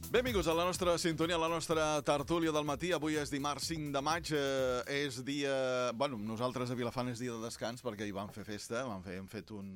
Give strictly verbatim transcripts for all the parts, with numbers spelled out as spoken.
Benvinguts a la nostra sintonia, a la nostra tertúlia del matí. Avui és dimarts cinc de maig, eh, és dia... Bueno, nosaltres a Vilafant és dia de descans perquè hi vam fer festa, vam fer, hem fet un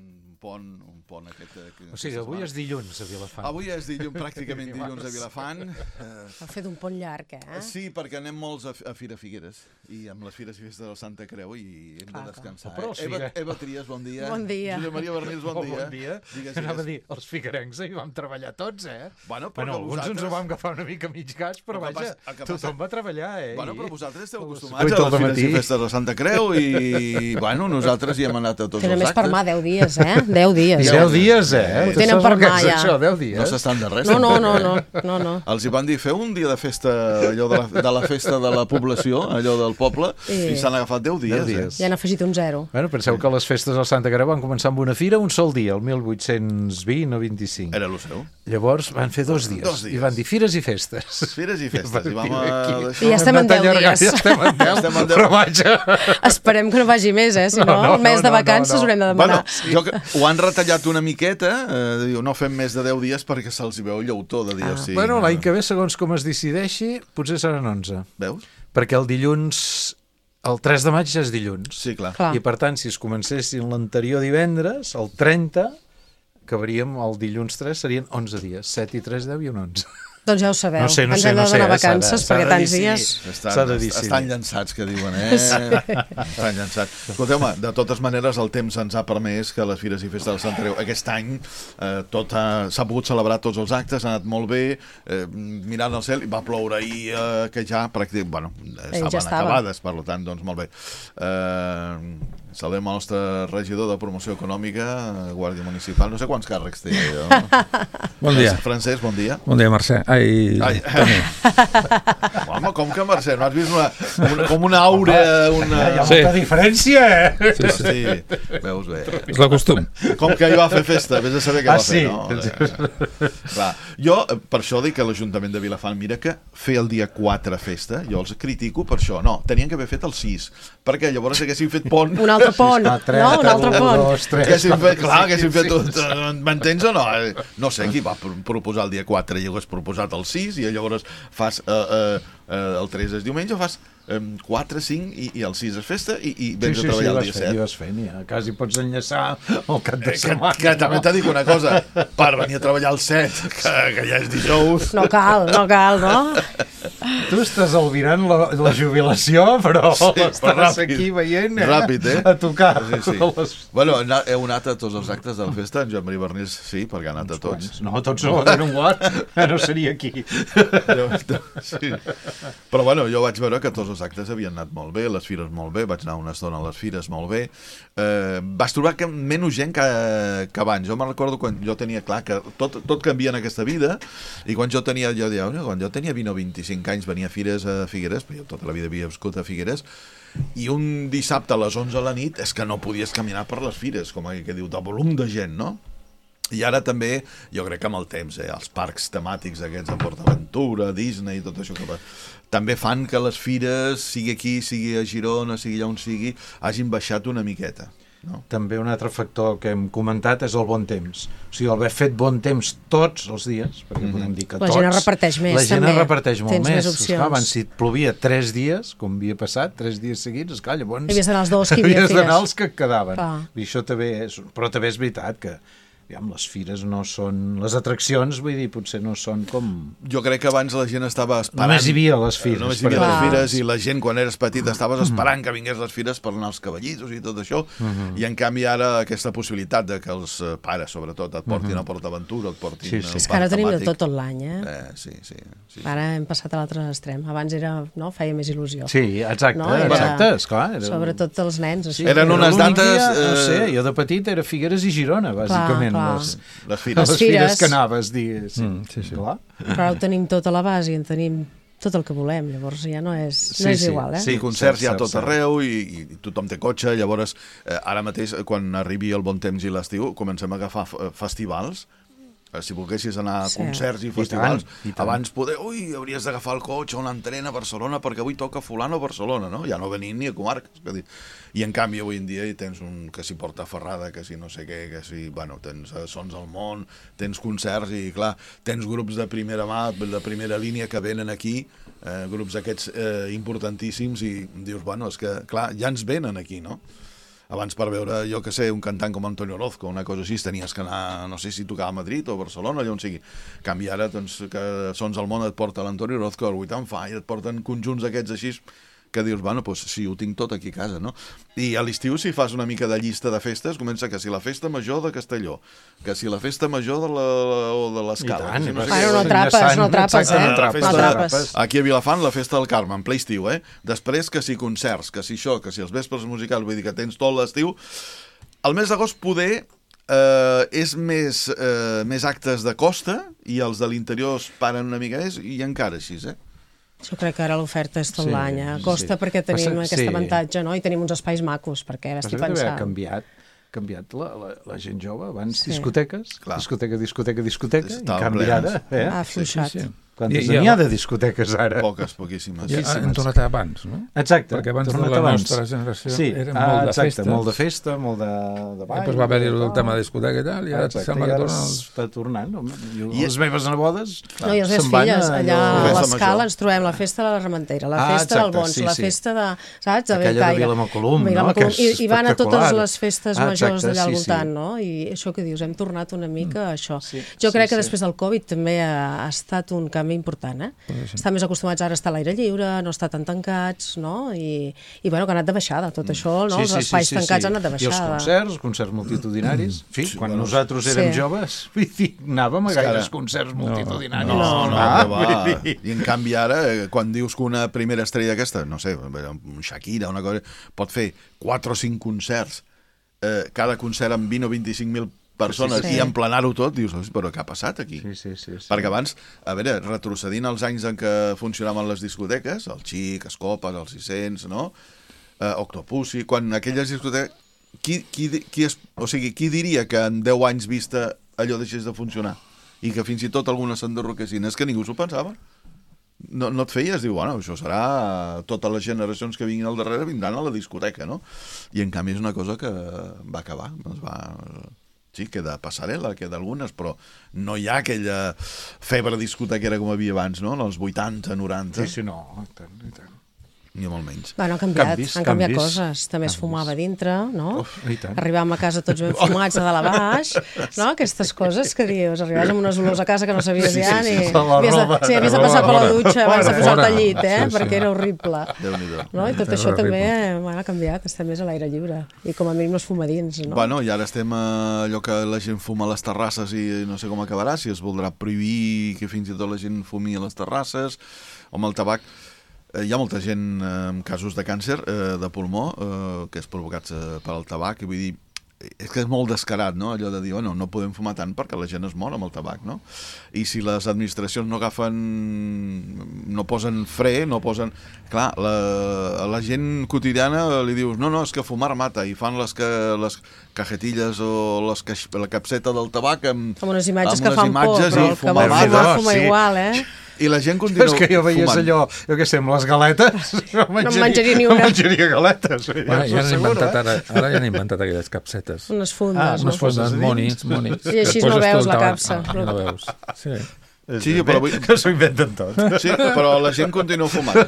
pont, un pont aquest... Eh, o sigui, avui és dilluns a Vilafant. Avui és dilluns, pràcticament dilluns a Vilafant. Eh... Hem fet un pont llarg, eh? Sí, perquè anem molts a, a Fira Figueres, i amb les Fires i Festes del Santa Creu, i hem clar, de descansar. Però eh? Eva, Eva Trias, bon dia. Bon dia. Josep Maria Bernils, bon oh, dia. Bon dia. Digues, anava a dir, els figuerencs hi vam treballar tots, eh? Bueno, però bueno, alguns vosaltres... ens ho vam agafar una mica mig gas, però, però vaja, passa, tothom va treballar, eh? Bueno, però I... vosaltres esteu acostumats a les Fires i Festes de Santa Creu i, bueno, nosaltres hi hem anat a tots tenen els actes. Tenen més per mà, deu dies, eh? deu dies. I deu dies, eh? Ho tenen per mà, ja. Això, deu dies. No s'estan de res. No, no, no, no, no, no. Els hi van dir, feu un dia de festa, allò de la, de la festa de la població, allò del poble, i, i s'han agafat deu dies. deu dies. Eh? Ja han afegit un zero. Bueno, penseu sí. que les festes del Santa Creu van començar amb una fira un sol dia, el mil vuit-cents vint o vint-i-cinc. Era el seu. Llavors van fer dos dies, dos dies. I van dir fires i festes. Fires i festes. I, vam a... I ja estem en deu dies. Ja estem en deu, estem en deu. Però vaja. Esperem que no vagi més, eh? Si no, no, no el mes no, de vacances no, no. haurem de demanar. Bueno, sí. jo, ho han retallat una miqueta, eh, diu, no fem més de deu dies perquè se'ls hi veu llautó de dir, ah. o sigui, bueno, l'any que ve, segons com es decideixi, potser seran onze. Veus? Perquè el dilluns... El tres de maig ja és dilluns. Sí, clar. clar. I per tant, si es comencessin l'anterior divendres, el trenta, acabaríem el dilluns tres, serien onze dies. set i tres, deu i un onze. Doncs ja ho sabeu. No sé, no Ens sé, hem de no donar sé, vacances perquè tants dies... Estan, estan llançats, que diuen, eh? Sí. Estan llançats. Escolteu-me, de totes maneres, el temps ens ha permès que les Fires i Festes del Sant Creu aquest any eh, tot s'ha pogut celebrar tots els actes, ha anat molt bé, eh, mirant al cel, i va ploure ahir, eh, que ja pràcticament, bueno, estaven ja estava. acabades, per tant, doncs molt bé. Eh, saludem el nostre regidor de promoció econòmica, Guàrdia Municipal, no sé quants càrrecs té. Jo. Bon dia. Francesc, bon dia. Bon dia, Mercè. Ai, Ai. Home, com que Mercè? No has vist una, una, com una aura... Una... Hi ha molta sí. diferència, eh? Sí, sí. sí. Veus bé. És la costum. Com que ell va fer festa, vés a saber què ah, va sí. fer, no? Clar. Jo, per això dic que l'Ajuntament de Vilafant, mira que fer el dia quatre festa, jo els critico per això. No, tenien que haver fet el sis, perquè llavors haguessin fet pont... Un altre pont, no? Un altre pont. Dos, tres, haguessin fet, clar, haguessin fet... M'entens o no? No sé qui va proposar el dia quatre i hagués proposat el sis i llavors fas eh, eh, el tres és diumenge, fas quatre, cinc i, i el sis és festa i, i vens sí, sí, a treballar sí, el dia set. Sí, vas fent, ja. Quasi pots enllaçar el cap de setmana. Que, que també t'ha dit una cosa, per venir a treballar el set, que, que ja és dijous... No cal, no cal, no? Tu estàs albirant la, la jubilació, però sí, estàs ràpid, aquí veient, eh? Ràpid, eh? A tocar. Sí, sí. Les... Bueno, heu anat a tots els actes de la festa, en Joan Maria Bernils sí, perquè ha anat a tots. No, tots no, era un guard, no seria aquí. Sí. Però bueno, jo vaig veure que tots els actes havien anat molt bé, les fires molt bé, vaig anar una estona a les fires molt bé. Eh, vas trobar que menys gent que, que abans. Jo me'n recordo quan jo tenia clar que tot, tot canvia en aquesta vida, i quan jo tenia, jo deia, quan jo tenia vint o vint-i-cinc anys venia a fires a Figueres, perquè jo tota la vida havia viscut a Figueres, i un dissabte a les onze de la nit és que no podies caminar per les fires, com que diu, de volum de gent, no? I ara també, jo crec que amb el temps, eh, els parcs temàtics aquests de PortAventura, Disney i tot això que va, també fan que les fires, sigui aquí, sigui a Girona, sigui allà on sigui, hagin baixat una miqueta. No? També un altre factor que hem comentat és el bon temps. O sigui, haver fet bon temps tots els dies, perquè mm-hmm. podem dir que la tots... La gent es reparteix més, la gent també. es reparteix molt Tens més. més opcions. Esclar, abans, si et plovia tres dies, com havia passat, tres dies seguits, esclar, llavors... Havies d'anar els dos que hi havia havies d'anar els que et quedaven. Clar. I això també és... Però també és veritat que aviam, les fires no són... Les atraccions, vull dir, potser no són com... Jo crec que abans la gent estava esperant... Només hi havia les fires. Només hi havia les fires i la gent, quan eres petit, estaves esperant que vingués les fires per anar als cavallitos i tot això. Uh-huh. I en canvi ara aquesta possibilitat de que els pares, sobretot, et portin uh-huh. a PortAventura, et portin... Sí, sí. És que ara tenim de tot tot l'any, eh? eh sí, sí, sí, sí. Ara hem passat a l'altre extrem. Abans era, no, feia més il·lusió. Sí, exacte, no? Era... exacte, esclar. Era... Sobretot els nens. Així. Sí, eren unes dates... Dia, eh... No sé, jo de petit era Figueres i Girona, bàsicament. Clar, clar. Les... Les fires. Les fires que anaves, digues. Mm, sí, sí. Clar. Però ho tenim tot a la base i en tenim tot el que volem, llavors ja no és, no sí, és sí. igual, eh? Sí, concerts Cert, hi ha cert, tot cert. arreu i, i tothom té cotxe, llavors eh, ara mateix quan arribi el bon temps i l'estiu comencem a agafar festivals Si volguessis anar a Sí. concerts i I festivals, tant, i tant. abans poder... Ui, hauries d'agafar el cotxe o un tren a Barcelona perquè avui toca fulano a Barcelona, no? Ja no venint ni a comarques. Que dir. I en canvi avui en dia hi tens un que s'hi porta Ferrada, que si no sé què, que si... Bueno, tens eh, Sons al Món, tens concerts i, clar, tens grups de primera mà, de primera línia que venen aquí, eh, grups aquests eh, importantíssims i dius, bueno, és que, clar, ja ens venen aquí, no? Abans per veure, jo que sé, un cantant com Antonio Orozco, una cosa així, tenies que anar, no sé si tocava a Madrid o a Barcelona, allà on sigui. En canvi ara, doncs, que Sons al Món et porta l'Antonio Orozco, el Vuit and Fire, et porten conjunts aquests així, que dius, bueno, doncs sí, ho tinc tot aquí a casa, no? I a l'estiu, si fas una mica de llista de festes, comença que si la festa major de Castelló, que si la festa major de la, o de l'Escala... I tant, que si no sé Bueno, què, no atrapes, no atrapes, Exacte, eh? no atrapes. No atrapes. Aquí a Vilafant, la festa del Carme, en ple estiu, eh? Després, que si concerts, que si això, que si els vespres musicals, vull dir que tens tot l'estiu. El mes d'agost poder eh, és més, eh, més actes de costa i els de l'interior es paren una mica més i encara així, eh? Jo crec que ara l'oferta és tot Sí, l'any. A Costa sí. perquè tenim Passa- aquest sí. avantatge, no? I tenim uns espais macos, perquè Passa estic que deve haver pensant... canviat, canviat la, la, la gent jove. Abans Sí. discoteques, Clar. discoteca, discoteca, discoteca, i Estaven canvi plenes. ara. Eh? Ha afluixat. Sí, sí. Quantes I- i n'hi ha ara- de discoteques ara? Poques, poquíssimes. Ja, Poquíssimes. hem tornat a abans, no? Exacte. Perquè abans tornat la abans. nostra generació sí. era ah, molt de exacte, festa. molt de festa, molt de, de ball. Després va haver-hi de el tal. tema de discoteca i tal, i ara Exacte, sembla i que ara tornen els... està tornant. home. I I- les meves nebodes No, i les meves se'n van filles, a allà allò- a Festa l'Escala major. ens trobem la festa de la Rementera, la Ah, festa del exacte, Bons, sí, la sí. festa de... Saps? De Aquella de Bellcaire. Vilamacolum, no? Vilamacolum. Que és I, I van a totes espectacular. les festes Ah, majors exacte, d'allà al sí, sí. voltant, no? I això que dius, hem tornat una mica a això. Sí, jo sí, crec que sí. després del Covid també ha, ha estat un canvi important, eh? Estan més acostumats ara a estar a l'aire lliure, no estar tan tancats, no? I, i bueno, que ha anat de baixada tot això, no? Els espais tancats han anat de I els baixada. concerts, concerts multitudinaris. En fi, Sí, quan bueno, nosaltres érem sí. joves, vull dir, anàvem a És que gaires ara- concerts multitudinaris. No, no, Ah, que va. vull dir- I en canvi ara, eh, quan dius que una primera estrella d'aquesta, no sé, un Shakira, una cosa, pot fer quatre o cinc concerts, eh, cada concert amb vint o vint-i-cinc mil persones Sí, sí. i emplenar-ho tot, dius, però què ha passat aquí? Sí, sí, sí, sí. Perquè abans, a veure, retrocedint els anys en què funcionaven les discoteques, el Xic, Escopes, el sis-cents, no? Eh, Octopussy, quan aquelles discoteques... Qui, qui, qui, es, o sigui, qui diria que en deu anys vista allò deixés de funcionar? I que fins i tot algunes s'enderroquessin? És que ningú s'ho pensava. No, no et feies, diu, bueno, això serà... Totes les generacions que vinguin al darrere vindran a la discoteca, no? I en canvi és una cosa que va acabar, es va... Sí, queda passarel·la, queda algunes, però no hi ha aquella febre discotequera com havia abans, no? En els vuitanta, noranta, Sí, sí, no, i tant, i tant. ni molt menys. Bueno, han canviat, Canvis, han canviat canvis. coses. També es fumava a dintre, no? Uf, i tant. Arribàvem a casa tots ben fumats de dalt a baix, no? Aquestes coses que dius, arribaves amb unes olors a casa que no sabies Sí, ja sí, ni... sí. La Havies de, roba. sí, havies de La passar per roba la dutxa abans de fora. posar-te al llit, eh? Sí, sí. Perquè era horrible. Déu-n'hi-do. No? I tot Era això també horrible. bueno, ha canviat, estem més a l'aire lliure. I com a mínim no es fuma dins, no? Bueno, i ara estem a allò que la gent fuma a les terrasses i no sé com acabarà, si es voldrà prohibir que fins i tot la gent fumi a les terrasses, o amb el tabac. Eh, hi ha molta gent eh, amb casos de càncer eh, de pulmó, eh, que és provocats eh, per al tabac, i vull dir, és que és molt descarat, no?, allò de dir, bueno, no podem fumar tant perquè la gent es mor amb el tabac, no? I si les administracions no agafen, no posen fre, no posen... Clar, la, a la gent quotidiana li dius, no, no, és que fumar mata, i fan les, que, les cajetilles o les, caix- la capseta del tabac amb, Amb unes imatges amb que unes fan por, imatges però i el que fumar vol mata. fumar, fuma sí. igual, eh? I la gent continua És que jo veies fumant. allò, jo què sé, amb les galetes, no menjaria, menjaria ni no una. menjaria galetes. vull dir, Bueno, us ja ho han asseguro, inventat eh? ara, ara ja han inventat aquelles capsetes. Unes fundes, Ah, no? unes fundes. Fundes, monis, monis. I així Que no poses veus tu el la tabac. capsa. Ah, no veus. Sí. Sí, però vull- Que s'ho inventen tot. Sí, però la gent continua fumant.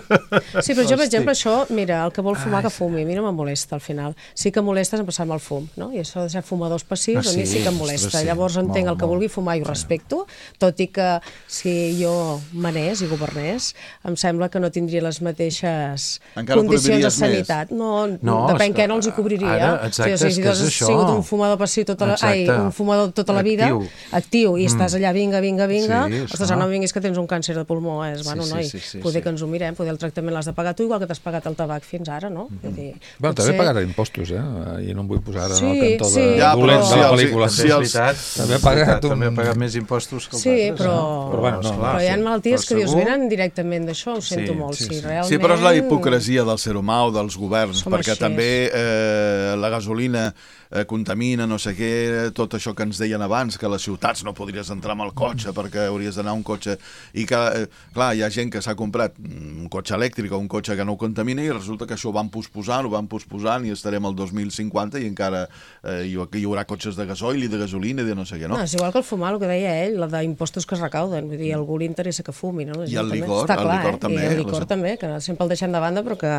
Sí, però jo, per exemple, això, mira, el que vol fumar que fumi, a mi no em molesta al final. Sí que em molesta és empassar-me el fum, no? I això de ser fumadors passius, Ah, a mi sí? sí que em molesta. Ostres, sí. Llavors entenc Molt, el que molt. vulgui fumar i ho respecto, tot i que si jo manés i governés, em sembla que no tindria les mateixes Encara condicions de prohibiries més. sanitat. No, No, depèn és que què no els hi cobriria. ara, exacte, o sigui, és si que tu has és això. sigut un fumador passiu tota la, ai, Exacte. un fumador tota la vida, Actiu. actiu, i estàs allà, vinga, vinga, vinga, Sí, ostres, esclar. no em vinguis que tens un càncer de pulmó, és, bueno, Sí, sí, noi, sí, sí, poder sí. que ens ho mirem, poder el tractament l'has de pagar tu igual que t'has pagat el tabac fins ara, no? Vull dir, Bueno, també potser- he pagat impostos, eh? I no em vull posar ara en el Sí, cantó sí, de Ja, dolent però de la si els- pel·lícula. si Sí, és els- veritat. També ha és veritat, pagat un- també ha pagat més impostos que els Sí, altres. però, no? Però bueno, no, però hi ha sí. malalties Però que dius, segur- venen directament d'això, ho sento Sí, molt, sí, sí, sí. realment... Sí, però és la hipocresia del ser humà o dels governs, Som perquè així. també eh, la gasolina eh, contamina, no sé què, tot això que ens deien abans, que a les ciutats no podries entrar amb el cotxe perquè hauries d'anar un cotxe, i que, eh, clar, hi ha gent que s'ha comprat un cotxe elèctric o un cotxe que no contamina i resulta que això ho van posposant, ho van posposant i estarem al dos mil cinquanta i encara eh, hi, hi haurà cotxes de gasoil i de gasolina i de no sé què, no? No, és igual que el fumar, el que deia ell, la d'impostos que es recauden, vull dir, a algú li interessa que fumi, no? La I gent el també. licor, Està el clar, licor eh? també, I el licor les- també, que sempre el deixem de banda, però que,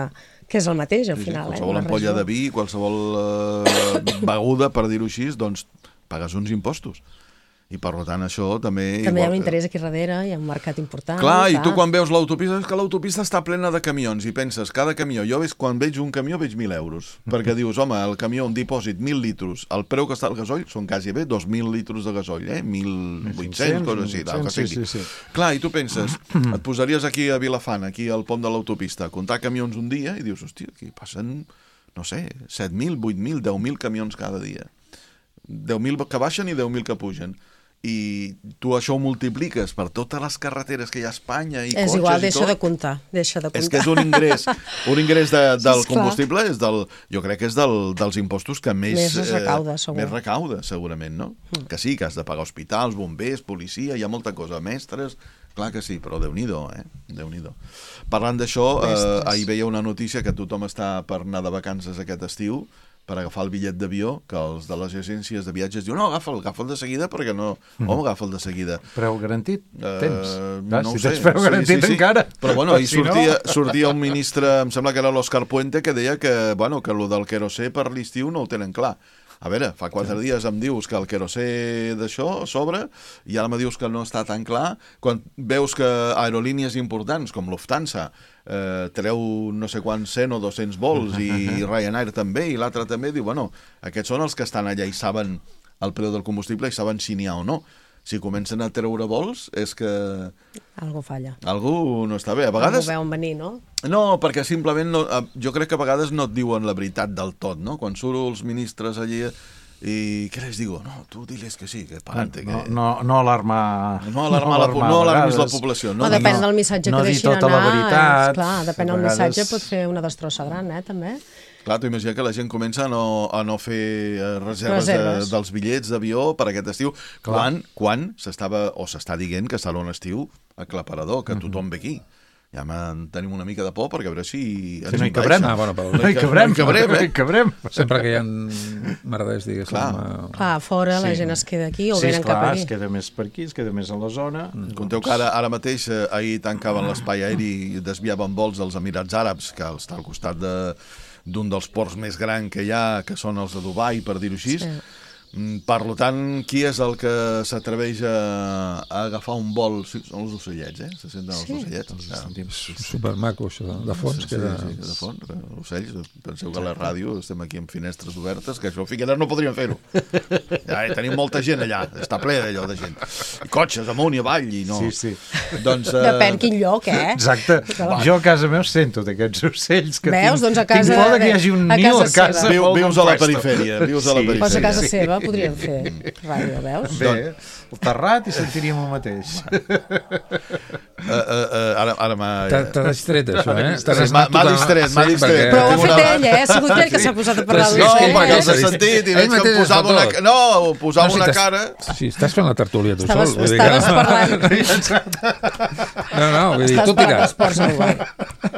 que és el mateix, al Sí, sí, final. qualsevol eh? ampolla de vi, qualsevol eh, beguda, per dir-ho així, doncs pagues uns impostos. I per tant això també... També hi ha igual un que- interès aquí darrere, hi ha un mercat important. Clar, i tu quan veus l'autopista, és que l'autopista està plena de camions i penses, cada camió, jo veig, quan veig un camió veig mil euros, perquè dius, home, el camió, un dipòsit, mil litros, el preu que està el gasoll són quasi bé dos mil litros de gasoll, eh? mil vuit-cents, coses així, del que sí, sigui. sí, sí. Clar, i tu penses, et posaries aquí a Vilafant, aquí al pont de l'autopista, a comptar camions un dia, i dius, hòstia, aquí passen, no sé, set mil, vuit mil, deu mil camions cada dia. deu mil que baixen i deu mil que pugen. I tu això ho multipliques per totes les carreteres que hi ha a Espanya i És cotxes igual, i deixa tot. de comptar, deixa de comptar. És que és un ingrés, un ingrés de, del Sí, esclar. combustible, és del, jo crec que és del, dels impostos que més... Més es recauda, segur. Més recauda, segurament, no? Mm. Que sí, que has de pagar hospitals, bombers, policia, hi ha molta cosa, mestres... Clar que sí, però Déu-n'hi-do, eh? Déu-n'hi-do. Parlant d'això, eh, Mestres. ahir veia una notícia que tothom està per anar de vacances aquest estiu, per agafar el bitllet d'avió, que els de les agències de viatges diuen no, agafa'l, agafa'l de seguida, perquè no... Mm. Home, agafa'l de seguida. Preu garantit? Eh, Tens? no si ho sé. tens preu garantit encara. Però bueno, ahir Si no- sortia, sortia un ministre, em sembla que era l'Òscar Puente, que deia que, bueno, que lo del querosè per l'estiu no ho tenen clar. A veure, fa quatre dies em dius que el querosè d'això s'obre i ara me dius que no està tan clar. Quan veus que aerolínies importants com Lufthansa eh, treu no sé quants cent o dos-cents vols i Ryanair també i l'altre també, diu, bueno, aquests són els que estan allà i saben el preu del combustible i saben si n'hi ha o no. Si comencen a treure vols és que Algú falla. algú no està bé. A Algú vegades... veuen venir, no? No, perquè simplement no, eh, jo crec que a vegades no et diuen la veritat del tot, no? Quan surt els ministres allí i què les digo? No, tu diles que sí, que pagante. No, Que... no, no alarmar... No alarmar la, no a alarmis la vegades. població. No, No, no depèn no. del missatge no que dir deixin tota anar. la veritat. És, clar, depèn A del missatge, vegades- pot fer una destrossa gran, eh, també. Clar, tu imagina que la gent comença a no, a no fer eh, reserves, Reserves. De, dels bitllets d'avió per aquest estiu, quan, quan s'estava, o s'està dient que serà un estiu aclaparador, que tothom ve aquí. Ja en tenim una mica de por perquè a veure si ens Si no hi envaeixen. cabrem. Ah, bueno, però No hi cabrem, No hi cabrem, no eh? hi cabrem. sempre que hi ha merders, diguéssim... Clar. eh, Clar, fora la Sí. gent es queda aquí o Sí, venen esclar, cap aquí. es queda més per aquí, es queda més a la zona. Conteu que ara, ara mateix, eh, ahir tancaven l'espai aeri i desviaven vols als Emirats Àrabs, que està al costat de d'un dels ports més grans que hi ha, que són els de Dubai, per dir-ho així. Sí. Mm, Per lo tant, qui és el que s'atreveix a, a agafar un vol? Sí, són els ocellets, eh? Se senten els Sí. ocellets. Ja. Supermaco, això, de, de fons. Sí, que era... sí, de fons, eh, ocells. Penseu que a la ràdio estem aquí amb finestres obertes, que això a Figueres no podríem fer-ho. Ja, eh, tenim molta gent allà, està ple d'allò de gent. Cotxes amunt i avall i no... Sí, sí. Doncs, eh, Depèn quin lloc, eh? Exacte. Jo a casa meu sento d'aquests ocells que Veus? tinc, Doncs a casa tinc por de que de- hi hagi un a niu a casa casa. seva. Viu, molt vius a la compuesto. perifèria, vius a la Sí. perifèria. Pues a casa seva podríem fer ràdio, veus? Bé, el terrat i sentiríem el mateix. Uh, uh, uh, ara ara m'ha... T'ha t'ha distret, això, eh? Sí, T'has m'ha- anat m'ha totalment- distret, m'ha Sí, distret. perquè- Però ho ha tinc fet una- ell, eh? Ha sigut ell que s'ha posat a parlar Però sí, del No, és que ell perquè els he mateix- sentit i ell veig que em mateix es fa posava una... tot. No, posava No, si una t'has- cara... Sí, estàs fent la tertúlia tu Estaves, sol. vull dir estaves que... parlant, No, no, vull dir, estàs tu parlant tira. dels ports a Dubai.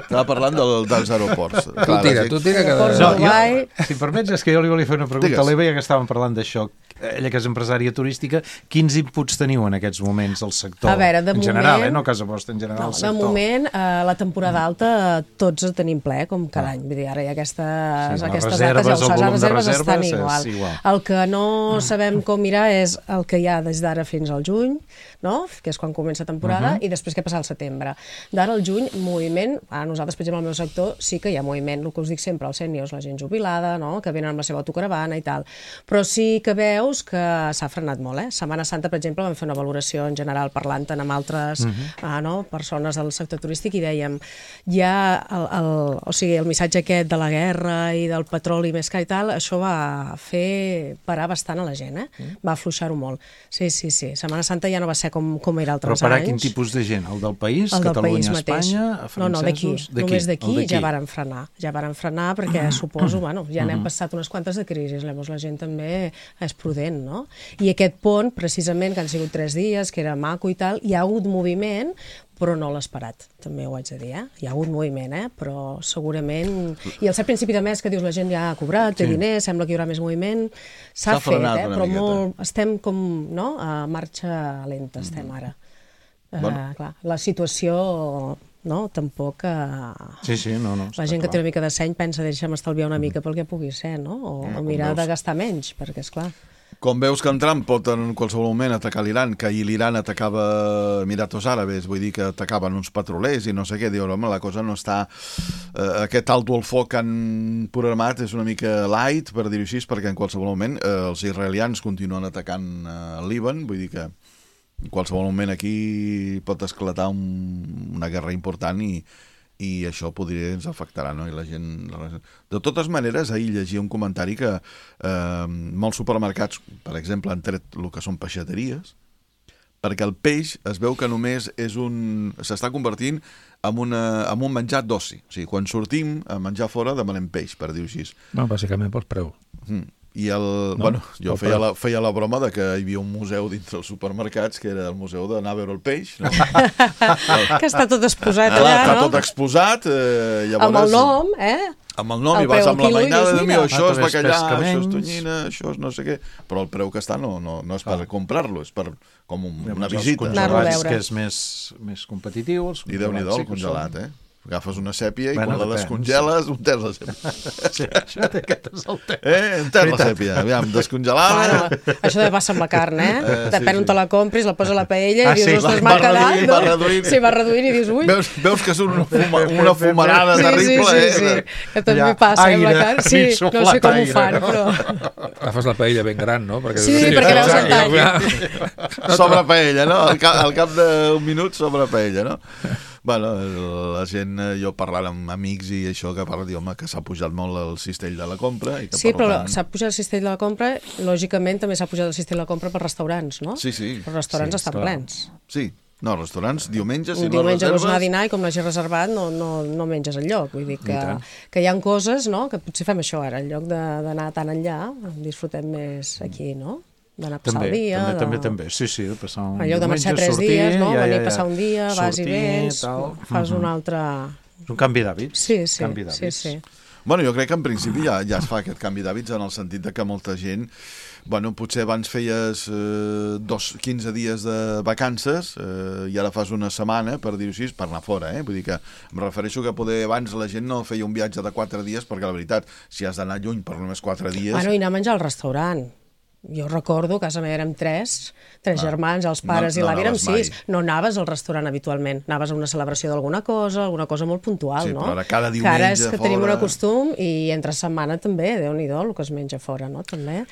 Estava parlant del, dels aeroports. Tu tira, tu tira que... Ports No, a Dubai. jo, si em permets, és que jo li volia fer una pregunta Digues. a l'Eva, ja que estàvem parlant d'això. Ella que és empresària turística, quins inputs teniu en aquests moments al sector? A veure, de en general, moment- eh? No a casa vostra, en general, No, al de sector. moment, eh, la temporada alta tots el tenim ple, com cada any. Vull dir, ara hi ha aquestes, Sí, les aquestes reserves, dates, ja ho el saps, les volum de reserves reserves estan és igual. igual. El que no sabem com mirar és el que hi ha des d'ara fins al juny, no? Que és quan comença temporada, i després què passa al setembre. D'ara al juny, moviment, a nosaltres, per exemple, al meu sector, sí que hi ha moviment, el que us dic sempre, els sèniors, la gent jubilada, no? Que venen amb la seva autocaravana i tal. Però sí sí que veus que s'ha frenat molt, eh? Setmana Santa, per exemple, vam fer una valoració en general parlant amb altres uh -huh. ah, no? persones del sector turístic i dèiem, ja el, el, o sigui, el missatge aquest de la guerra i del petroli més car i tal, això va fer parar bastant a la gent, eh? Uh -huh. Va afluixar-ho molt. Sí, sí, sí. Setmana Santa ja no va ser com, com era altres anys. Però parar quin tipus de gent? El del país? El del Catalunya, país Espanya? mateix. No, no, d'aquí. Només d'aquí ja varen frenar. Ja varen frenar perquè suposo, bueno, ja n'hem passat unes quantes de crisis, llavors la gent també és prudent, no? I aquest pont, precisament, que han sigut tres dies, que era maco i tal, hi ha hagut moviment, però no l'ha esperat, també ho haig de dir, eh? Hi ha hagut moviment, eh? Però segurament... I al ser principi de mes que dius la gent ja ha cobrat, té sí. diners, sembla que hi haurà més moviment, s'ha fet, eh? Però molt... estem com, no?, a marxa lenta, estem ara. Bueno. Uh, clar, la situació... no? Tampoc... Uh... Sí, sí, no, no. La gent que té una mica de seny pensa, deixa'm estalviar una mica pel que pugui ser, no? O, no, o mirar de gastar menys, perquè, esclar... Com veus que en Trump pot en qualsevol moment atacar l'Iran, que ahir l'Iran atacava Emiratos Àrabes, vull dir que atacaven uns petrolers i no sé què, diu, home, la cosa no està... Eh, aquest alto al foc que han programat és una mica light, per dir-ho així, perquè en qualsevol moment eh, els israelians continuen atacant eh, el Líban, vull dir que en qualsevol moment aquí pot esclatar un, una guerra important i, i això podria ens afectarà, no? I la gent... De totes maneres, ahir llegia un comentari que eh, molts supermercats, per exemple, han tret el que són peixateries, perquè el peix es veu que només és un... s'està convertint en, una, en un menjar d'oci. O sigui, quan sortim a menjar fora demanem peix, per dir-ho així. No, bàsicament pels preus. Mm. I el, no, bueno, jo feia la, feia la broma de que hi havia un museu dintre els supermercats que era el museu d'anar a veure el peix, no? Que està tot exposat allà, allà, no? Està tot exposat, eh, llavors... Amb el nom, eh? Amb el nom, el i vas amb la mainada de mi, mira, això és bacallà, pescaments. això és tonyina, això és no sé què, però el preu que està no, no, no és per ah. comprar-lo, és per com un, una visita. Anar-lo a veure. Que és més, més competitiu. I Déu-n'hi-do, el congelat, eh? Agafes una sèpia i bueno, quan la descongeles, un ters la sèpia. Sí, això aquest és el tema. Eh, un ters la sèpia, aviam, descongelada. Bueno, això també passa amb la carn, eh? eh Depèn sí, on te la compris, la posa a la paella i ah, dius, sí, ostres, m'ha quedat, no? Va reduint. Sí, va reduint i dius, ui. Veus, veus que és una, fuma, una fumarada sí, terrible, sí, sí, eh? Sí, que també passa amb la carn. Sí, no sé com ho fan, però... Agafes la paella ben gran, no? Perquè sí, perquè veus el tall. Sobre paella, no? Al cap, al cap d'un minut sobre paella, no? Bueno, la gent, jo parlant amb amics i això que parla, diu, home, que s'ha pujat molt el cistell de la compra. I que sí, però tant... s'ha pujat el cistell de la compra, lògicament també s'ha pujat el cistell de la compra per restaurants, no? Sí, sí. Els restaurants sí, estan clar. plens. Sí, no, restaurants, diumenge, si diumenge no reserves... vols anar a dinar i com l'hagi reservat no, no, no menges enlloc. Vull dir que, que hi ha coses, no?, que potser fem això ara, en lloc d'anar tan enllà, disfrutem més aquí, no? D'anar a passar també, el dia. També, de... també, també, sí, sí, de passar un en lloc de marxar diumenge, tres sortir, dies, no? Ja, Venir ja, a passar un dia, sortir, vas i vens, tal. fas un altre... És un canvi d'hàbits. Sí, sí, canvi sí, sí. Bueno, jo crec que en principi ja, ja es fa aquest canvi d'hàbits en el sentit de que molta gent, bueno, potser abans feies eh, dos, quinze dies de vacances eh, i ara fas una setmana, per dir-ho així, per anar fora, eh? Vull dir que em refereixo que poder abans la gent no feia un viatge de quatre dies perquè la veritat, si has d'anar lluny per només quatre dies... Bueno, i anar a menjar al restaurant. Jo recordo que a casa meva érem tres, tres ah, germans, els pares no, i no l'avi érem sis. Mai. No anaves al restaurant habitualment, anaves a una celebració d'alguna cosa, alguna cosa molt puntual, sí, no? Però ara cada diumenge que ara és que fora... tenim un costum i entre setmana també, Déu-n'hi-do, el que es menja fora, no? També.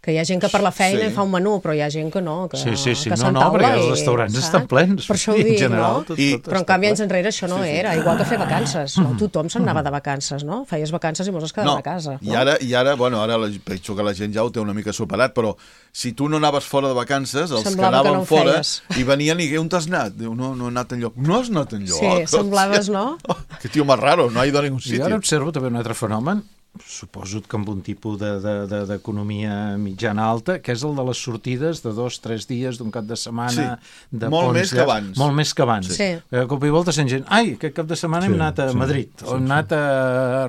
Que hi ha gent que per la feina sí. fa un menú, però hi ha gent que no, que, sí, sí, sí. que no, no, perquè els restaurants i, estan plens. Per això ho dic, general, no? tot, I, tot però en canvi anys enrere això no sí, sí. era, igual que fer vacances, no? Tothom se'n anava de vacances, no? Feies vacances i molts es quedaven no, a casa. No? I ara, i ara, bueno, ara penso que la gent ja ho té una mica superat, però si tu no anaves fora de vacances, els semblava que anaven que no fora feies. i venien i on t'has anat? Diu, no, no he anat enlloc. No has anat enlloc? Sí, semblaves, no? Oh, que tio més raro, no ha ido a ningú sitio. I ara observo també un altre fenomen, suposo que amb un tipus d'economia de, de, de mitjana alta, que és el de les sortides de dos, tres dies d'un cap de setmana. Sí, de molt ponts, més que abans. Molt més que abans. Sí. A cop i volta sent gent, ai, aquest cap de setmana sí, hem anat a sí, Madrid, sí, o hem anat a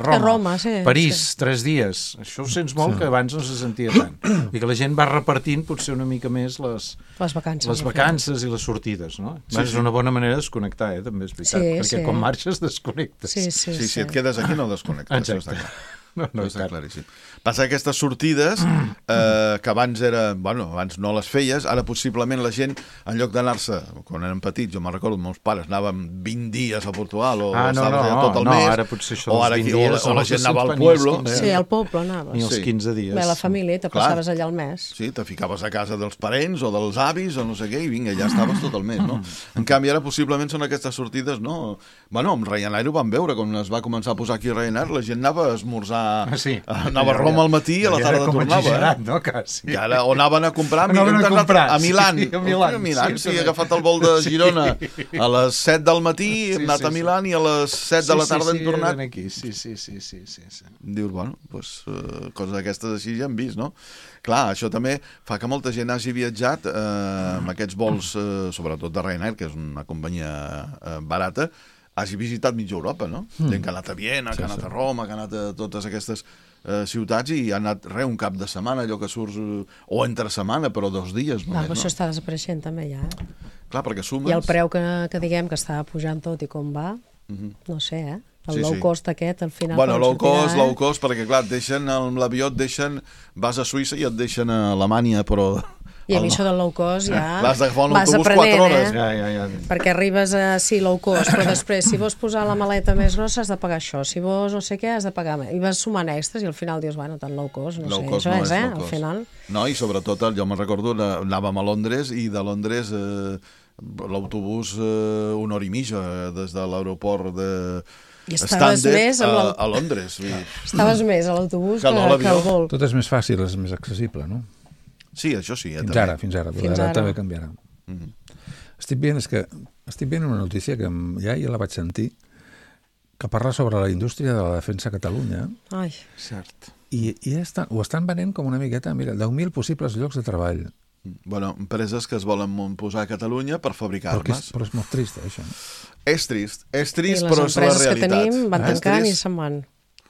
Roma, a Roma sí, París, sí. tres dies. Això ho sents molt, sí. que abans no se sentia tant. I que la gent va repartint potser una mica més les, les vacances, les vacances i les sortides, no? Sí, és sí. una bona manera de desconnectar, eh? També és veritat, sí, perquè sí. quan marxes desconnectes. Sí, sí, sí, sí. Si et quedes aquí no desconnectes. Exacte. No, no, està claríssim. Passa que aquestes sortides, eh, que abans era, bueno, abans no les feies, ara possiblement la gent, en lloc d'anar-se, quan érem petits, jo me'n recordo, meus pares anàvem vint dies a Portugal, o ah, no, estaves no, allà tot el no, mes, ara potser això o, dels ara vint aquí, o, dies, o la gent anava al pueblo. Sí, al poble anaves. Ni els Sí. quinze dies. Bé, la família, te Clar. passaves allà al mes. Sí, te ficaves a casa dels parents o dels avis o no sé què, i vinga, ja estaves tot el mes, no? En canvi, ara possiblement són aquestes sortides, no? Bueno, amb Ryanair ho vam veure, quan es va començar a posar aquí Ryanair, la gent anava a esmorzar, Ah, sí. anava a Roma al matí i a la tarda tornava. Eh? No, quasi. I ara, o anaven a comprar, Anaven a hem anat comprar, a Milán, sí, a Milán, a Milán, sí, sí, he també. agafat el vol de Girona a les set del matí, Sí, hem anat sí, a Milán i a les set de la tarda sí, hem tornat. Sí, aquí. Sí, sí, sí, sí, sí, sí. Dius, bueno, pues, uh, coses d'aquestes així ja hem vist, no? Clar, això també fa que molta gent hagi viatjat eh, amb aquests vols, eh, sobretot de Ryanair, que és una companyia eh, barata, hagi visitat mitja Europa, no? Mm. Gent que ha anat a Viena, que ha anat a Roma, que ha anat a totes aquestes eh, ciutats i ha anat, re, un cap de setmana, allò que surts, eh, o entre setmana, però dos dies No, només, però no? això està desapareixent també ja. Eh? Clar, perquè sumes... I el preu que, que diguem que està pujant tot i com va, Mhm. no sé, eh? El Sí, low sí. cost aquest, al final... Bueno, quan low sortirà, cost, eh? low cost, perquè clar, et deixen amb l'avió, et deixen, vas a Suïssa i et deixen a Alemanya, però... I a mi el- això del low cost ja... L'has d'agafar un vas autobús aprenent, quatre hores. Eh? Ja, ja, ja. Perquè arribes a, sí, low cost, però després, si vols posar la maleta més grossa, has de pagar això. Si vols no sé què, has de pagar més. I vas sumant extras i al final dius, bueno, tan low cost, no Low sé, cost això no és, és eh? low Al cost. final... No, i sobretot, jo me'n recordo, anàvem a Londres i de Londres eh, l'autobús eh, una hora i mitja eh, des de l'aeroport de I estaves Stansted més amb a, l'au- a Londres. I... Estaves més a l'autobús Que que, no a que, l'avió. al vol. Tot és més fàcil, és més accessible, no? Sí, això sí. Eh, Fins també. ara, fins ara, però Fins ara ara. també canviarà. Mhm. Estic veient, és que estic veient una notícia que em- ja, ja la vaig sentir, que parla sobre la indústria de la defensa a Catalunya, Ai, Cert. i, i estan, ho estan venent com una miqueta, mira, deu mil possibles llocs de treball. Bueno, empreses que es volen posar a Catalunya per Però, que és, fabricar-les. però és molt trist, això. És trist, és i trist, les però és la empreses que realitat. tenim van És tancant i trist. se'n van.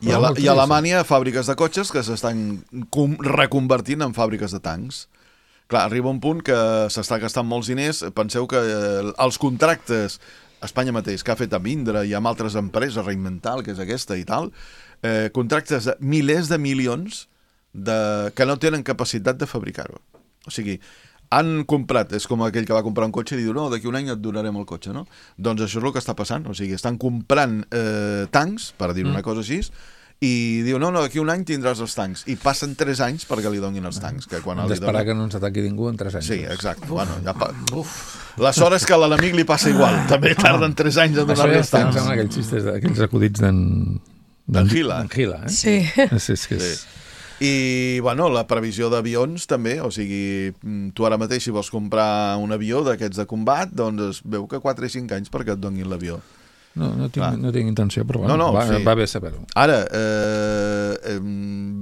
I a, Però la, molt I a trist. Alemanya, fàbriques de cotxes que s'estan com- reconvertint en fàbriques de tancs. Clar, arriba un punt que s'està gastant molts diners. Penseu que eh, els contractes, Espanya mateix, que ha fet amb Indra i amb altres empreses, Reinmental, que és aquesta i tal, eh, contractes de milers de milions de, que no tenen capacitat de fabricar-ho. O sigui, han comprat, és com aquell que va comprar un cotxe i diu, no, d'aquí un any et donarem el cotxe, no? Doncs això és el que està passant, o sigui, estan comprant eh, tancs, per dir una cosa així, i diu, no, no, d'aquí un any tindràs els tancs, i passen tres anys perquè li donin els tancs, que quan Hem li d'esperar donen... que no ens ataqui ningú en tres anys. Sí, exacte. Bueno, ja pa... La sort és que a l'enemic li passa igual, també tarden tres anys a Això donar-li ja els està, em tancs. sembla aquells xistes, aquells acudits d'en... D'en Gila. D'en Gila, eh? Sí. Sí, és que és... Sí. I, bueno, la previsió d'avions també, o sigui, mm, tu ara mateix si vols comprar un avió d'aquests de combat, doncs es veu que quatre i cinc anys perquè et donin l'avió. No, no, Clar. tinc, no tinc intenció, però bueno, No, no, va, sí. va bé saber-ho. Ara, eh, eh,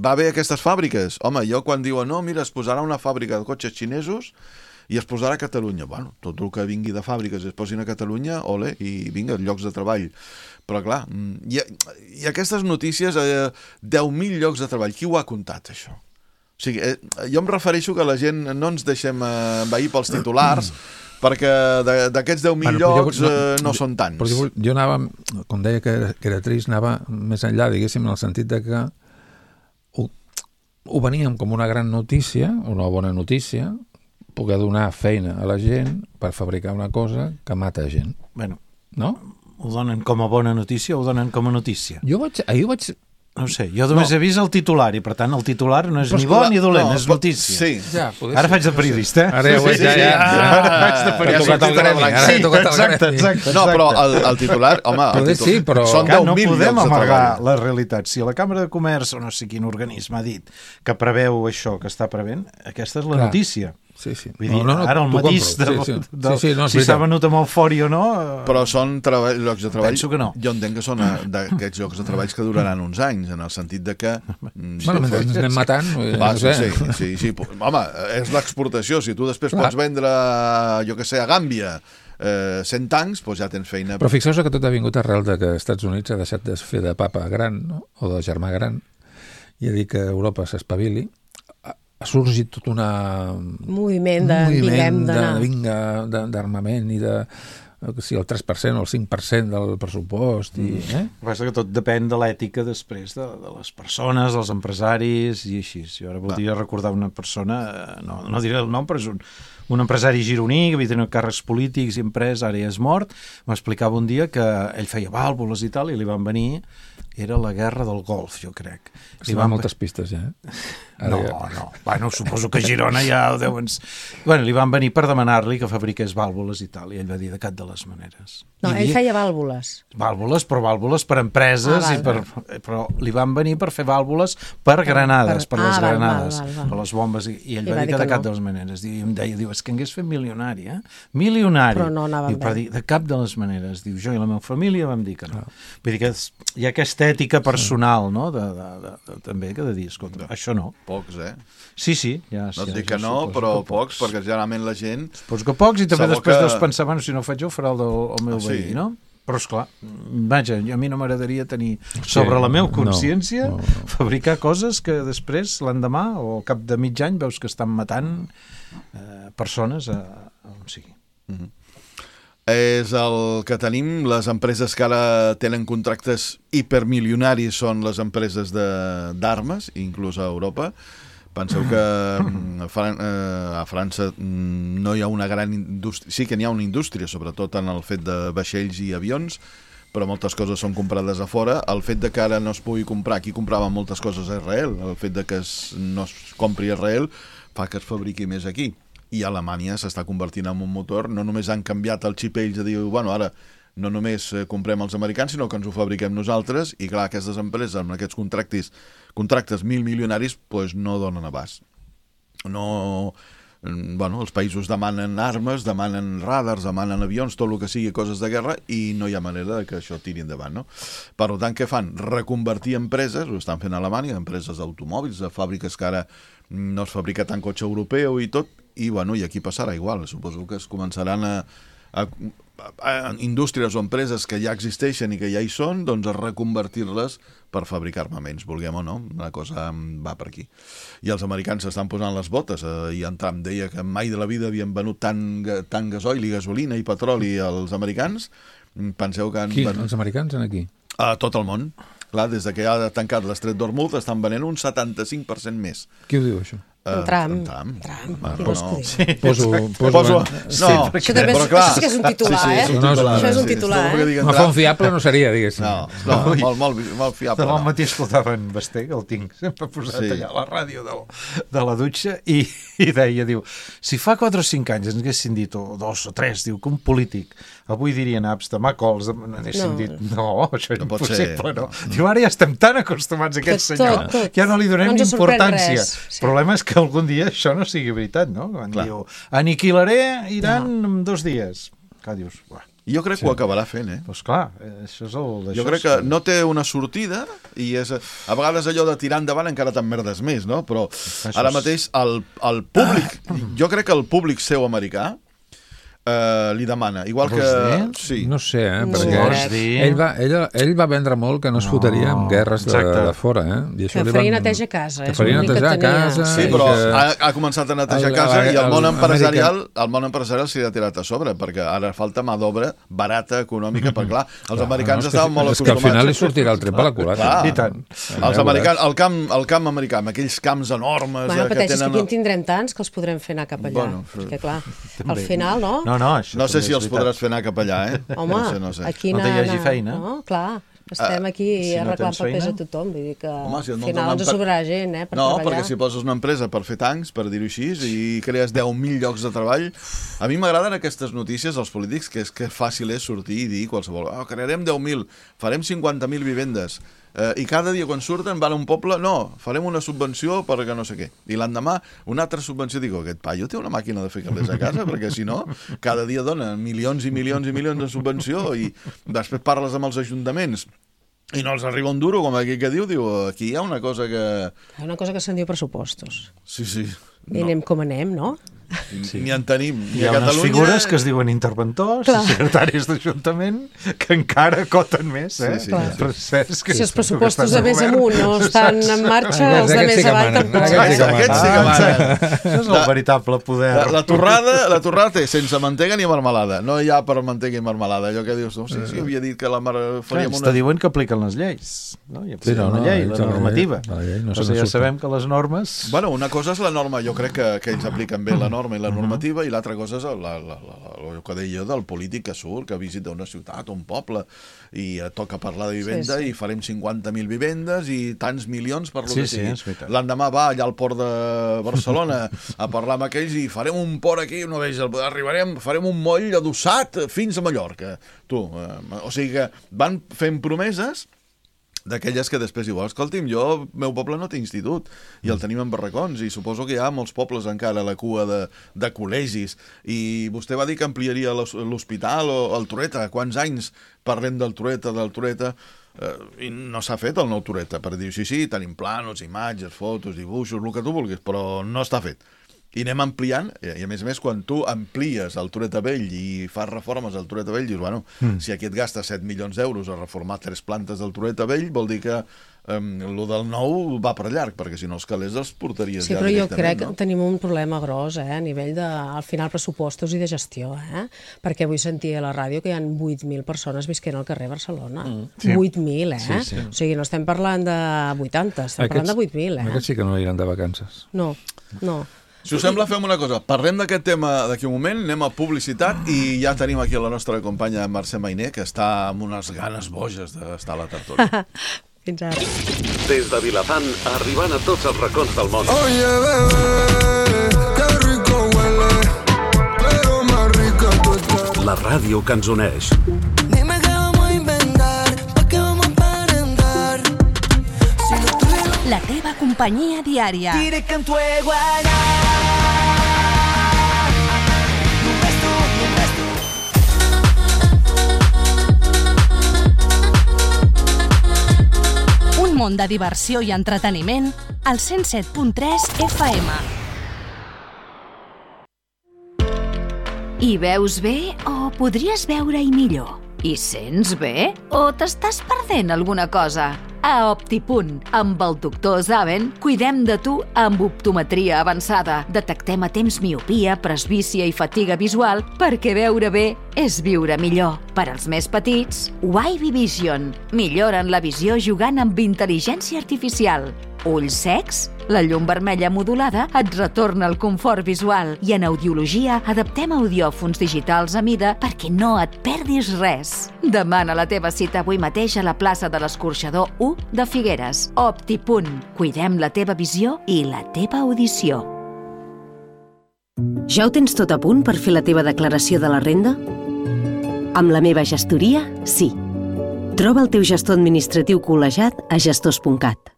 va bé aquestes fàbriques. Home, jo quan diuen, no, mira, es posarà una fàbrica de cotxes xinesos i es posarà a Catalunya. Bueno, tot el que vingui de fàbriques i es posin a Catalunya, ole, i vinga, llocs de treball. Però clar, mm, i, i aquestes notícies, eh, deu mil llocs de treball, qui ho ha comptat, això? O sigui, eh, jo em refereixo que la gent no ens deixem eh, envair pels titulars, perquè de- d'aquests deu mil Bueno, però jo- llocs eh, no són tants. Però jo, jo anava, com deia que era, que era trist, anava més enllà, diguéssim, en el sentit de que ho, ho veníem com una gran notícia, una bona notícia, poder donar feina a la gent per fabricar una cosa que mata gent, Bueno, no? ho donen com a bona notícia o ho donen com a notícia? Jo vaig, ahir ho vaig... No ho sé, jo només No. he vist el titular i per tant el titular no és Però ni escolta, bo ni dolent, no, és però- notícia. Sí. Ja, poder Ara ser, faig de periodista, eh? Ara ja ho Sí, veig, sí, ja, sí. ja. Ah, Ara ja he tocat el sortit a la gremi, blanca. ara he Sí, tocat el exacte, gremi. exacte. No, però el, el titular, home... el Poder titular, sí, però- Són Que deu no mil podem llocs de amagar treball. la realitat. Si la Cambra de Comerç o no sé quin organisme ha dit que preveu això que està prevent, aquesta és la Clar. notícia. Sí, sí. Vull dir, ara el t'ho matís de, compro. Sí, sí. de, Sí, sí, no, és si s'ha veritat. venut amb eufòria o no... eh, Però són treball, llocs de treball... Penso que no. Jo entenc que són eh, d'aquests llocs de treballs que duraran uns anys, en el sentit de que... mm, Bueno, mentre ens anem matant, eh, Va, no sí, sé. sí, sí, sí. Home, és l'exportació. Si tu després Clar. pots vendre, jo que sé, a Gàmbia, eh, cent tancs, doncs ja tens feina. Però fixeu-vos que tot ha vingut arrel de que als Estats Units ha deixat de fer de papa gran, no? O de germà gran, i ha dit que Europa s'espavili. Ha, ha sorgit tot una... Moviment de un moviment vinguem de, d'anar. vinga, de- d'armament i de... que si el tres per cent o el cinc per cent del pressupost. I, eh? El que passa que tot depèn de l'ètica després de, de les persones, dels empresaris i així. Jo ara voldria recordar una persona, no, no diré el nom, però és un, un empresari gironí que havia tenit càrrecs polítics i emprès, ara ja és mort, m'explicava un dia que ell feia vàlvules i tal, i li van venir, era la guerra del Golf, jo crec. Li van moltes pistes, ja. Ara no, ja... no. Bueno, suposo que a Girona ja ho deuen... Bueno, li van venir per demanar-li que fabriqués vàlvules i tal, i ell va dir de cap de les maneres. No, I ell feia vàlvules. Vàlvules, però vàlvules per empreses, ah, val, i per... Val. Però li van venir per fer vàlvules per granades, per, per les ah, granades, val, val, val. Per les bombes, i, i ell I va, va dir que de cap no. de les maneres. I em deia, diu, és que hagués fet milionari, eh? Milionari. Però no anava diu, però dir, de cap de les maneres. Diu, jo i la meva família vam dir que no. Ah. Vull dir que hi ha aquesta ètica personal, no? De, de, de, de, també, que de dir, escolta, això no. Pocs, eh? Sí, sí. Ja, no et ja, dic que ja, no, però pocs, pocs, perquè generalment la gent... Suposo que pocs, i també després que... deus pensar, bueno, si no ho faig jo, ho farà el, del, el meu ah, veí, sí. no? Però, esclar, vaja, a mi no m'agradaria tenir sobre sí, la meva consciència no, no, no. fabricar coses que després, l'endemà, o al cap de mig any, veus que estan matant eh, persones a, a on sigui. Mm-hmm. És el que tenim. Les empreses que ara tenen contractes hipermilionaris són les empreses d'armes, inclús a Europa. Penseu que a, Fran a França no hi ha una gran indústria, sí que n'hi ha una indústria, sobretot en el fet de vaixells i avions, però moltes coses són comprades a fora. El fet de que ara no es pugui comprar, aquí compraven moltes coses a Israel, el fet de que es, no es compri a Israel fa que es fabriqui més aquí. I Alemanya s'està convertint en un motor, no només han canviat el xip ells de dir, bueno, ara no només comprem els americans, sinó que ens ho fabriquem nosaltres, i clar, aquestes empreses amb aquests contractes, contractes mil milionaris, doncs no donen abast. No... Bueno, els països demanen armes, demanen radars, demanen avions, tot el que sigui coses de guerra, i no hi ha manera de que això tiri endavant, no? Per tant, què fan? Reconvertir empreses, ho estan fent a Alemanya, empreses d'automòbils, de fàbriques que ara no es fabrica tant cotxe europeu i tot, i bueno, i aquí passarà igual. Suposo que es començaran a, a, a indústries o empreses que ja existeixen i que ja hi són, doncs a reconvertir-les per fabricar armaments, vulguem o no, la cosa va per aquí. I els americans s'estan posant les botes, eh, i en Trump deia que mai de la vida havien venut tant, tant gasoil i gasolina i petroli als americans. Penseu que han... Qui? Venut... Els americans en aquí? A tot el món. Clar, des que ha tancat l'estret d'Hormuz estan venent un setanta-cinc per cent més. Qui ho diu, això? Uh, Trump. Trump. Trump. Ah, no, no. Sí, poso, poso, poso... no, sí, això, també és, clar, això sí que és un titular, sí, sí, eh? És un titular, això és un titular, sí, eh? No, font fiable no seria, diguéssim. No, no, molt, molt, molt fiable. Demà al no. matí escoltava en Basté, que el tinc sempre posat sí. allà a la ràdio de, de la dutxa, i, i deia, diu, si fa quatre o cinc anys ens haguessin dit, o dos o tres, diu, que un polític avui diria naps, demà cols, n'haguessin no. dit, no, això és no impossible, no. no. Diu, ara ja estem tan acostumats a aquest tot, senyor tot, tot. que ja no li donem no importància. El sí. problema és que algun dia això no sigui veritat, no? Quan Clar. diu, aniquilaré Iran no. en dos dies. Clar, dius, uah. Jo crec sí. que ho acabarà fent, eh? Doncs clar, això és el d'això. Jo crec que no té una sortida i és, a vegades allò de tirar endavant encara t'emmerdes més, no? Però això ara mateix el, el públic, ah. jo crec que el públic seu americà Uh, li demana, igual que... Sí. No sé, eh? No Perquè ell va, ell, ell va vendre molt que no es no. fotria amb guerres de, de fora, eh? I això que faria van... neteja a casa. Que faria netejar a casa. Sí, però que... ha, ha començat a netejar a casa i el món empresarial el món empresarial s'hi ha tirat a sobre, perquè ara falta mà d'obra barata, econòmica, perquè clar, els clar, americans no, estaven molt acostumats. És que al final li sortirà el tret per la culata. I tant. Els americans, el camp, el camp americà, amb aquells camps enormes... Bueno, que pateixes tenen... que aquí en tindrem tants que els podrem fer anar cap allà. Bueno, perquè clar, al final, no? No, no, això no sé si els podràs fer anar cap allà, eh? Home, no sé, no sé. aquí no no hi hagi feina. No, clar, estem aquí uh, si arreglant no papers a tothom, vull dir que Home, si al final ens sobrarà gent, eh, per no, treballar. No, perquè si poses una empresa per fer tancs, per dir-ho així, i crees deu mil llocs de treball, a mi m'agraden aquestes notícies als polítics, que és que fàcil és sortir i dir qualsevol, oh, crearem deu mil, farem cinquanta mil vivendes, Uh, i cada dia quan surten van a un poble, no, farem una subvenció perquè no sé què, i l'endemà una altra subvenció. Digo, aquest paio té una màquina de fer calés a casa, perquè si no cada dia dona milions i milions i milions de subvenció i després parles amb els ajuntaments i no els arriba un duro, com aquí que diu, diu, aquí hi ha una cosa que... Hi ha una cosa que se'n diu pressupostos. Sí, sí. No. I anem com anem, no? sí. Ni en tenim. Hi ha unes figures que es diuen interventors, Clar. secretaris d'Ajuntament, que encara coten més, eh? Sí, sí, sí. sí. Si els pressupostos de més amunt no estan en marxa, els de més avall tampoc. Aquests sí que manen. Això és el veritable poder. La, la, torrada, la torrada té sense mantega ni marmelada. No hi ha per mantega i marmelada. Allò que dius, no sé si havia dit que la mar... faríem una... Està diuen que apliquen les lleis. No? Hi ha sí, no, la llei, no, la normativa. La llei, no o sigui, ja sabem que les normes... Bueno, una cosa és la norma, jo crec que, que ells apliquen bé la norma i la normativa, i l'altra cosa és la, la, la, la, el que deia del polític que surt, que visita una ciutat o un poble i toca parlar de vivenda sí, sí. i farem cinquanta mil vivendes i tants milions per lo sí, que sigui. Sí, l'endemà va allà al port de Barcelona a parlar amb aquells i farem un port aquí, no veig, arribarem, farem un moll adossat fins a Mallorca. Tu, eh, o sigui que van fent promeses d'aquelles que després diu, escolti'm, jo, el meu poble no té institut i el tenim en barracons i suposo que hi ha molts pobles encara a la cua de, de col·legis i vostè va dir que ampliaria l'hospital o el Toreta. Quants anys parlem del Toreta, del Toreta eh, i no s'ha fet el nou Toreta per dir, sí, sí, tenim plànols, imatges, fotos, dibuixos, el que tu vulguis, però no està fet. I anem ampliant, i a més a més, quan tu amplies el Toreta Vell i fas reformes al Toreta Vell, dius, bueno, mm. si aquí et gastes set milions d'euros a reformar tres plantes del Toreta Vell, vol dir que um, lo del nou va per llarg, perquè si no els calés els portaries sí, ja directament. Sí, però jo crec no? que tenim un problema gros, eh, a nivell de, al final, pressupostos i de gestió, eh? Perquè avui sentia a la ràdio que hi ha vuit mil persones visquent al carrer Barcelona. Mm. Sí. vuit mil, eh? Sí, sí. O sigui, no estem parlant de vuitanta, estem Aquests, parlant de vuit mil, eh? Aquests sí que no iran de vacances. No, no. Si us sembla, fem una cosa. Parlem d'aquest tema d'aquí un moment, anem a publicitat i ja tenim aquí la nostra companya Mercè Mainer, que està amb unes ganes boges d'estar a la tertúlia. Fins ara. Des de Vilafant, arribant a tots els racons del món. Oye, bebé, que rico huele, pero más rica tú estás. La ràdio que ens uneix. Dime qué vamos a inventar, pa' qué vamos a aparentar. Si no tuviera... La teva companyia diària. Diré que en tu igualdad. Un món de diversió i entreteniment al cent set punt tres F M. Hi veus bé o podries veure-hi millor? Hi sents bé o t'estàs perdent alguna cosa? A Optipunt, amb el doctor Zaven, cuidem de tu amb optometria avançada. Detectem a temps miopia, presbícia i fatiga visual perquè veure bé és viure millor. Per als més petits, Wavy Vision. Milloren la visió jugant amb intel·ligència artificial. Ulls secs? La llum vermella modulada et retorna el confort visual i en audiologia adaptem audiòfons digitals a mida perquè no et perdis res. Demana la teva cita avui mateix a la plaça de l'Escorxador u de Figueres. Optipunt. Cuidem la teva visió i la teva audició. Ja ho tens tot a punt per fer la teva declaració de la renda? Amb la meva gestoria, sí. Troba el teu gestor administratiu col·legiat a gestors punt cat.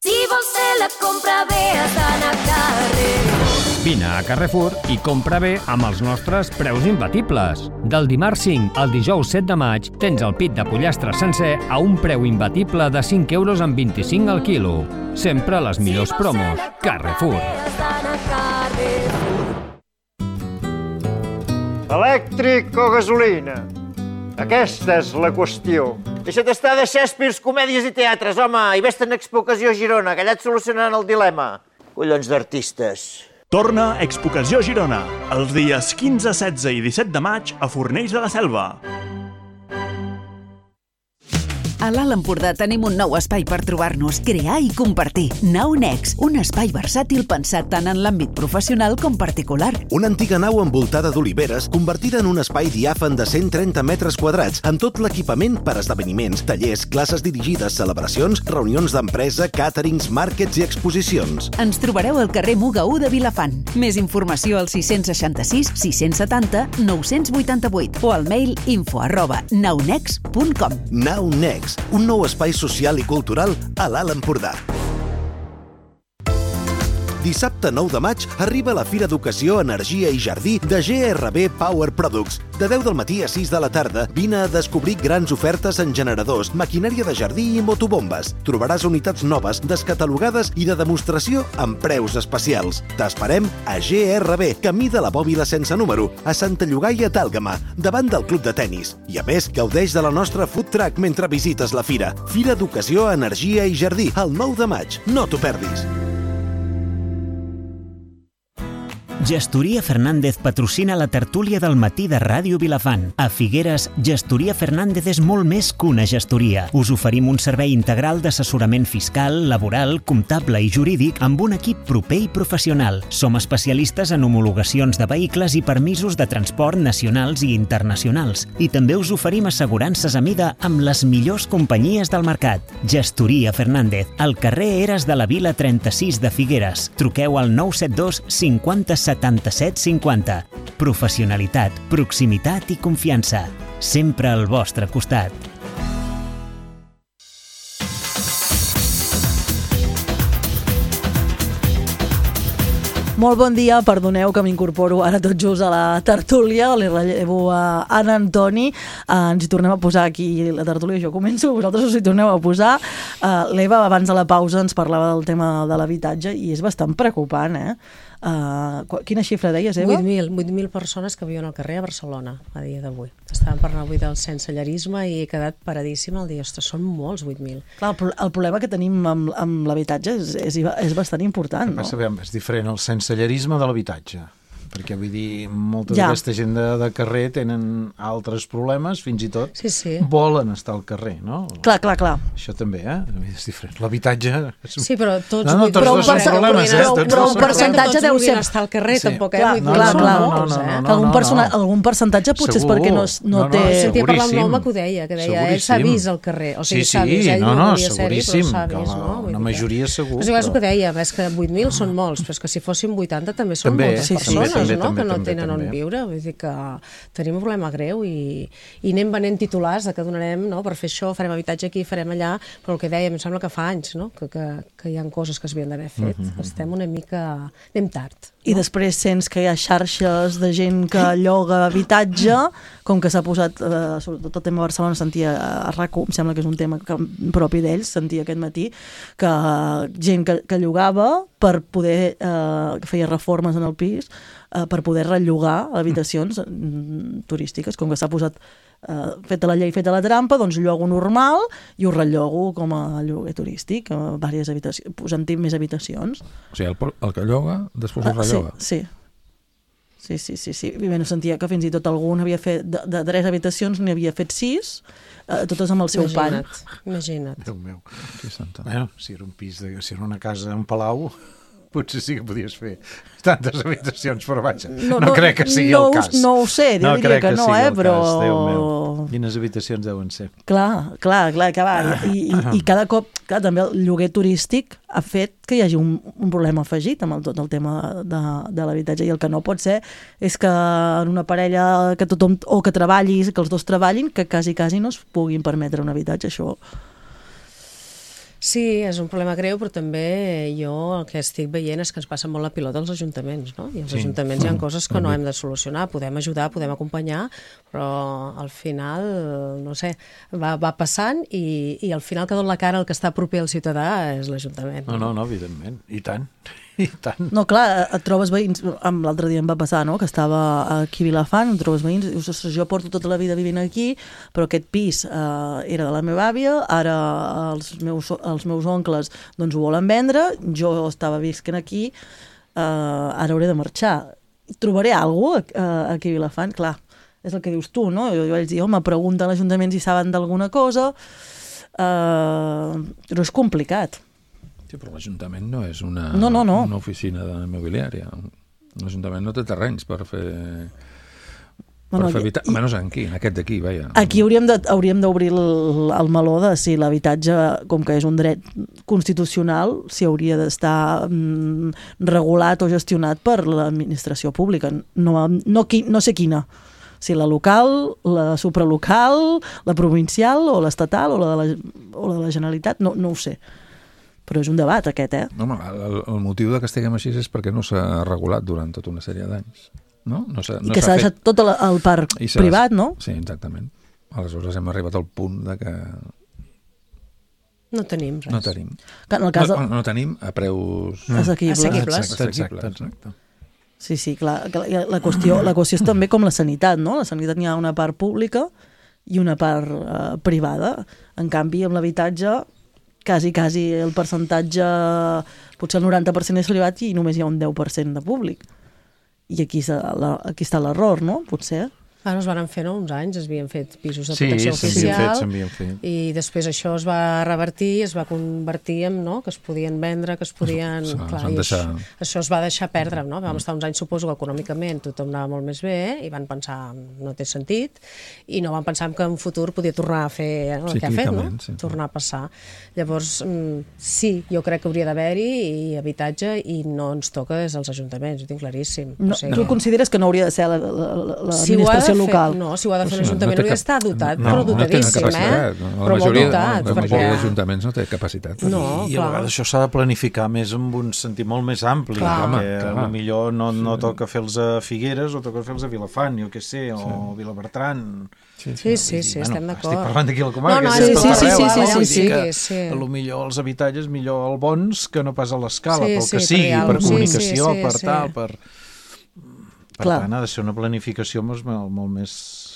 Si vols fer la compra bé, has d'anar a Carrefour. Vine a Carrefour i compra bé amb els nostres preus imbatibles. Del dimarts cinc al dijous set de maig tens el pit de pollastre sencer a un preu imbatible de cinc euros amb vint-i-cinc al quilo. Sempre les millors promos. Carrefour. Elèctric o gasolina? Aquesta és la qüestió. Deixa't estar de Shakespeare, comèdies i teatres, home, i vés-te'n a Expo Ocasió Girona, que allà et solucionaran el dilema. Collons d'artistes. Torna Expo Ocasió Girona, els dies quinze, setze i disset de maig a Fornells de la Selva. A l'Alt Empordà tenim un nou espai per trobar-nos, crear i compartir. Nau Nex, un espai versàtil pensat tant en l'àmbit professional com particular. Una antiga nau envoltada d'oliveres, convertida en un espai diàfan de cent trenta metres quadrats, amb tot l'equipament per esdeveniments, tallers, classes dirigides, celebracions, reunions d'empresa, càterings, màrquets i exposicions. Ens trobareu al carrer Muga u de Vilafant. Més informació al sis seixanta-sis sis setanta nou vuitanta-vuit o al mail info arroba naunex punt com. Nau Nex, un nou espai social i cultural a l'Alt Empordà. Dissabte dissabte nou de maig arriba la Fira d'Educació, Energia i Jardí de G R B Power Products. De deu del matí a sis de la tarda, vine a descobrir grans ofertes en generadors, maquinària de jardí i motobombes. Trobaràs unitats noves, descatalogades i de demostració amb preus especials. T'esperem a G R B, camí de la Bòbila sense número, a Santa Llogaia d'Àlgama, davant del club de tennis. I a més, gaudeix de la nostra food truck mentre visites la fira. Fira d'Educació, Energia i Jardí, el nou de maig. No t'ho perdis. Gestoria Fernández patrocina la tertúlia del matí de Ràdio Vilafant. A Figueres, Gestoria Fernández és molt més que una gestoria. Us oferim un servei integral d'assessorament fiscal, laboral, comptable i jurídic amb un equip proper i professional. Som especialistes en homologacions de vehicles i permisos de transport nacionals i internacionals. I també us oferim assegurances a mida amb les millors companyies del mercat. Gestoria Fernández, al carrer Eres de la Vila trenta-sis de Figueres. Truqueu al nou set dos cinquanta setanta-set cinquanta. Professionalitat, proximitat i confiança. Sempre al vostre costat. Molt bon dia, perdoneu que m'incorporo ara tot just a la tertúlia, li rellevo a Anna Antoni, uh, ens hi tornem a posar aquí la tertúlia, jo començo, vosaltres us hi torneu a posar. Uh, L'Eva abans de la pausa ens parlava del tema de l'habitatge i és bastant preocupant, eh? Uh, quina xifra deies, Eva? vuit mil, vuit mil persones que viuen al carrer a Barcelona a dia d'avui. Estàvem parlant avui del sensellerisme i he quedat paradíssima al dir, ostres, són molts vuit mil. Clar, el, el problema que tenim amb, amb l'habitatge és, és, és bastant important, no? Passa, és diferent el sensellerisme de l'habitatge, perquè vull dir, molta ja. d'aquesta gent de, de carrer tenen altres problemes, fins i tot sí, sí. volen estar al carrer, no? Clar, clar, clar. Això també, eh? És diferent. L'habitatge... És... Sí, però tots... No, no, tots dos són problemes, eh? Però, però un percentatge deu ser... estar al carrer, sí. tampoc, eh? Clar, Vull clar, dir, clar. No, no, no, no, no, algun, no, persona, no. algun percentatge potser Segur. és perquè no, no, no, no té... Sentia parlar amb l'home que ho deia, que deia, ell s'ha vist al carrer. O sigui, sí, s'ha vist, ell no, no, no volia ser-hi, però s'ha que vist, la, no? Una majoria segur. Però és el que deia, és que vuit mil són molts, però és que si fossin vuitanta també són també, moltes sí, persones, també, no? també, Que no també, tenen on també. viure. Vull dir que tenim un problema greu i, i anem venent titulars de que donarem, no? Per fer això, farem habitatge aquí, farem allà, però el que dèiem, em sembla que fa anys, no? Que, que, que hi ha coses que s'havien d'haver fet. Mm-hmm. Estem una mica... anem tard. I després sents que hi ha xarxes de gent que lloga habitatge, com que s'ha posat, eh, sobretot el tema de Barcelona, sentia a R A C U, em sembla que és un tema que, propi d'ells, sentia aquest matí, que gent que, que llogava per poder, eh, que feia reformes en el pis, eh, per poder rellogar habitacions mm, turístiques, com que s'ha posat Uh, feta la llei, feta la trampa, doncs llogo normal i ho rellogo com a lloguer turístic, a diverses habitacions, posant-hi més habitacions. O sigui, el, el que lloga, després ho Uh, relloga. sí, sí. Sí, sí, sí, sí. I bé, no sentia que fins i tot algun havia fet, de, de tres habitacions n'hi havia fet sis, uh, totes amb el seu Imagina't, pan. Imagina't. Déu meu. Bueno, si era un pis, de, si era una casa, un palau, potser sí que podies fer tantes habitacions, però vaja, no, no, no crec que sigui no, el cas. No ho sé, jo no diria que, que no, eh, però... Cas, Déu meu. Quines habitacions deuen ser? Clar, clar, clar, que va. I, i, i cada cop, clar, també el lloguer turístic ha fet que hi hagi un, un problema afegit amb el, tot el tema de, de l'habitatge, i el que no pot ser és que en una parella que tothom, o que treballis, que els dos treballin, que quasi, quasi no es puguin permetre un habitatge, això... Sí, és un problema greu, però també jo el que estic veient és que ens passa molt la pilota als ajuntaments, no? I als Sí. ajuntaments hi ha coses que no hem de solucionar, podem ajudar, podem acompanyar, però al final, no sé, va, va passant i, i al final que dona la cara el que està proper al ciutadà és l'Ajuntament. No, no, no, evidentment, i tant. I tant. No, clar, et trobes veïns, l'altre dia em va passar, no?, que estava aquí a Vilafant, et trobes veïns, dius, ostres, jo porto tota la vida vivint aquí, però aquest pis eh, era de la meva àvia, ara els meus, els meus oncles doncs ho volen vendre, jo estava visquent aquí, eh, ara hauré de marxar. Trobaré alguna cosa eh, aquí a Vilafant? Clar, és el que dius tu, no? Jo, jo vaig dir, home, pregunta a l'Ajuntament si saben d'alguna cosa, eh, però és complicat. Sí, però l'Ajuntament no és una, no, no, no. una oficina immobiliària. L'Ajuntament no té terrenys per fer... Per Bueno, fer habitat... i- Almenys aquí, en aquest d'aquí, vaja. Aquí hauríem de, hauríem d'obrir el, el meló de si l'habitatge, com que és un dret constitucional, si hauria d'estar mm, regulat o gestionat per l'administració pública. No, no, qui, no sé quina. Si la local, la supralocal, la provincial o l'estatal o la de la, o la de la Generalitat, no, no ho sé. Però és un debat, aquest, eh? No, home, el, el motiu de que estiguem així és perquè no s'ha regulat durant tota una sèrie d'anys. No? No s'ha, I no que s'ha deixat fet... tot el, el parc privat, no? Sí, exactament. Aleshores hem arribat al punt de que... No tenim res. No tenim. Que en el cas no, de... no tenim a preus... Assequibles. Assequibles. Assequibles, exacte. Sí, sí, clar. La qüestió, la qüestió és també com la sanitat, no? La sanitat n'hi ha una part pública i una part eh, privada. En canvi, amb l'habitatge, quasi, quasi el percentatge, potser el noranta per cent és privat i només hi ha un deu per cent de públic. I aquí, la, aquí està l'error, no? Potser. Ara es van fer, no? Uns anys, es havien fet pisos de sí, protecció oficial fet, fet. I després això es va revertir, es va convertir en, no?, que es podien vendre, que es podien... Això, clar, deixar... això, això es va deixar perdre, no? Vam estar uns anys, suposo que econòmicament tothom anava molt més bé i van pensar no té sentit i no van pensar que en un futur podia tornar a fer el que ha fet, no? Sí. Tornar a passar. Llavors, sí, jo crec que hauria d'haver-hi i habitatge i no ens toca des dels ajuntaments, ho tinc claríssim. No, o sigui, tu consideres que no hauria de ser l'administració si local? No, si ho ha de fer l'Ajuntament, no hauria d'estar dotat, no, però dotadíssim, no eh? No, però majoria, molt dotat. La perquè... majoria d'ajuntaments no té capacitat. No, I, i a vegades això s'ha de planificar més amb un sentit molt més ampli, clar, perquè home, millor no, no toca fer-los a Figueres o toca fer-los a Vilafant, jo què sé, o sí. Vilabertran... Sí, sí, sí, sí, bueno, estem d'acord. Estic parlant d'aquí a la comarca. No, no, sí, sí, sí, sí, sí, sí, sí, que, sí. A lo millor els habitatges, millor el bons que no pas a l'escala, sí, pel que sí, sigui, per sí, comunicació, sí, sí, per sí. tal, per... Per clar. tant, ha de ser una planificació molt, molt més...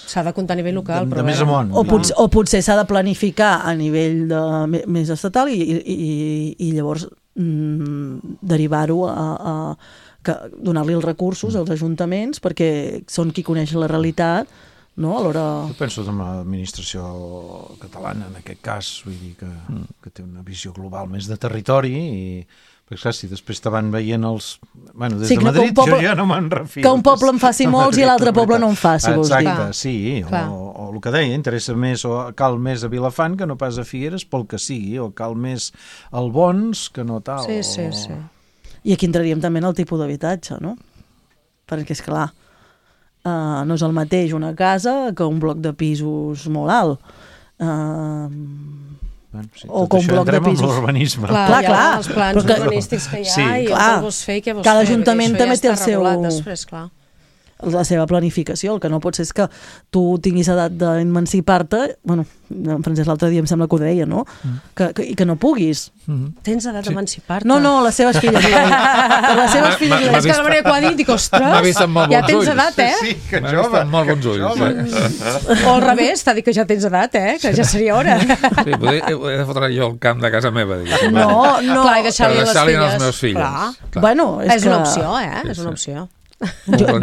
S'ha de comptar a nivell local, de, però... De més amunt. O, potser, o potser s'ha de planificar a nivell de, més estatal i, i, i llavors mm, derivar-ho a, a donar-li els recursos als ajuntaments perquè són qui coneix la realitat, no? A l'hora... Jo penso en l'administració catalana, en aquest cas, vull dir que, mm. que té una visió global més de territori i... Perquè, clar, si després te van veient els... Bueno, des sí, de Madrid poble, jo ja no me'n refio. Que un poble en faci molts i l'altre poble no en faci, vols dir. Exacte, sí, o, o el que deia, interessa més o cal més a Vilafant que no pas a Figueres, pel que sigui, o cal més al Bons que no tal. Sí, sí, o... sí. I aquí entraríem també en el tipus d'habitatge, no? Perquè, és clar, uh, no és el mateix una casa que un bloc de pisos molt alt. Uh, Bueno, sí, o com un bloc de pisos. L'urbanisme. Clar, clar, clar. Els plans que, urbanístics que hi ha sí. i clar, el que vols fer i què vols cada fer. ajuntament també ja té el seu... Després, clar. la seva planificació. El que no pot ser és que tu tinguis edat d'emancipar-te, bueno, en Francesc l'altre dia em sembla que ho deia, no? Mm. Que, que, i que no puguis. Mm. Tens edat sí. d'emancipar-te? No, no, les seves filles. les seves filles. És que la manera que ho ha dit, dic, ostres, ja tens ulls. edat, eh? Sí, que jove. Amb molt bons ulls. Eh? O al revés, t'ha dit que ja tens edat, eh? Que ja seria hora. Sí, poder, he de fotre jo el camp de casa meva, diguéssim. No, no. Clar, i deixar-li les filles. als meus fills. Clar. Clar. Bueno, és, és que... una opció, eh? Sí, és una sí. opció. Jo,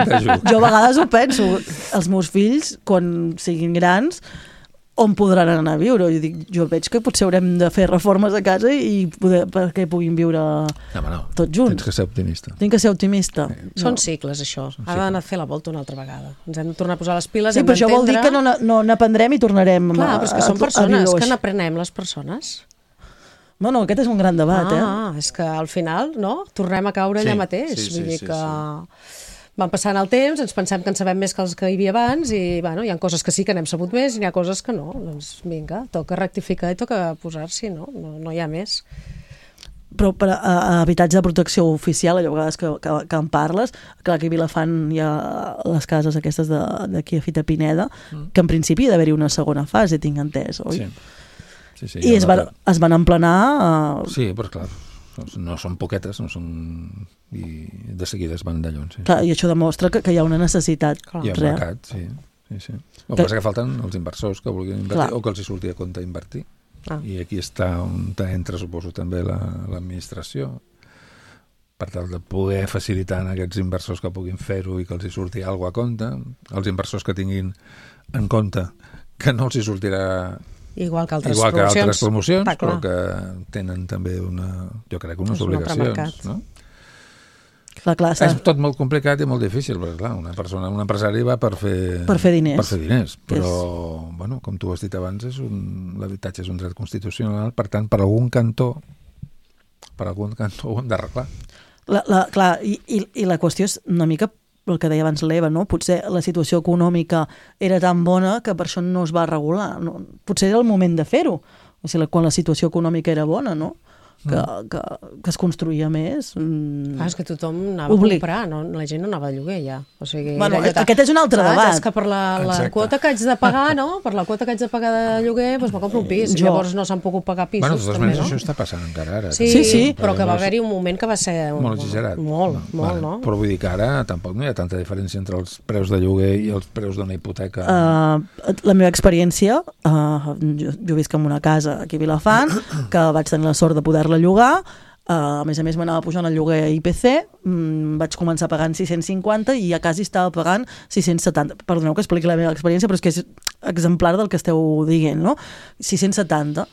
jo a vegades ho penso, els meus fills, quan siguin grans, on podran anar a viure? Jo, dic, jo veig que potser haurem de fer reformes a casa i poder, perquè puguin viure no, no. tots junts. Tens que ser optimista. Tinc que ser optimista. Sí. No. Són cicles, això. Ha d'anar a fer la volta una altra vegada. Ens hem de tornar a posar les piles, sí, hem però això vol dir que no, no n'aprendrem i tornarem Clar, a, però és que són persones, que n'aprenem les persones. No, no, aquest és un gran debat, ah, eh? Ah, és que al final, no?, tornem a caure sí, allà mateix. Sí, sí, Vull dir sí, que... sí. Van passant el temps, ens pensem que en sabem més que els que hi havia abans i bueno, hi ha coses que sí que n'hem sabut més i n'hi ha coses que no. Doncs vinga, toca rectificar i toca posar-s'hi, no? No, no hi ha més. Però per a, a habitatge de protecció oficial, allò vegades que, que, que en parles, clar que a Vilafant hi ha les cases aquestes d'aquí a Fita Pineda, mm. que en principi hi ha d'haver-hi una segona fase, tinc entès, oi? Sí. Sí, sí, I es, va, es van emplenar... Uh... Sí, però clar, no són poquetes, no són... i de seguida es van d'allons. Sí. Clar, i això demostra que, que hi ha una necessitat clar. Hi ha real. mercat, sí. sí, sí. El que passa que falten els inversors que vulguin invertir clar. O que els hi surti a compte invertir. Ah. I aquí està on entra, suposo, també l'administració per tal de poder facilitar a aquests inversors que puguin fer-ho i que els hi surti alguna cosa a compte. Els inversors que tinguin en compte que no els hi sortirà igual que altres igual que promocions, altres promocions però que tenen també una, jo crec, unes obligacions, no? Clar, clar, és tot molt complicat i molt difícil, perquè clar, una persona, un empresari va per fer, per fer diners, per fer diners però, és... bueno, com tu has dit abans, és un, l'habitatge és un dret constitucional, per tant, per algun cantó, per algun cantó ho hem d'arreglar. La, la, clar, i, i, i la qüestió és una mica el que deia abans l'Eva, no? Potser la situació econòmica era tan bona que per això no es va regular. No? Potser era el moment de fer-ho, o sigui, quan la situació econòmica era bona, no? que, que, que es construïa més. Mm. Ah, és que tothom anava Oblig. a comprar, no? La gent no anava a lloguer ja. O sigui, bueno, aquest és un altre ah, debat. És que per la, la quota que haig de pagar, no? Per la quota que haig de pagar de lloguer, doncs me compro un pis. Jo. Llavors no s'han pogut pagar pisos. Bueno, de totes maneres, no? això està passant encara ara. Sí, sí, sí. Però que va haver-hi un moment que va ser... Un, molt exagerat. Molt, no, molt, vale. no? Però vull dir que ara tampoc no hi ha tanta diferència entre els preus de lloguer i els preus d'una hipoteca. Uh, la meva experiència, uh, jo, jo visc en una casa aquí a Vilafant, que vaig tenir la sort de poder-la llogar. Uh, a més a més m'anava pujant el lloguer I P C, mm, vaig començar pagant sis-cents cinquanta i a quasi estava pagant sis-cents setanta. Perdoneu que expliqui la meva experiència, però és que és exemplar del que esteu dient, no? sis-cents setanta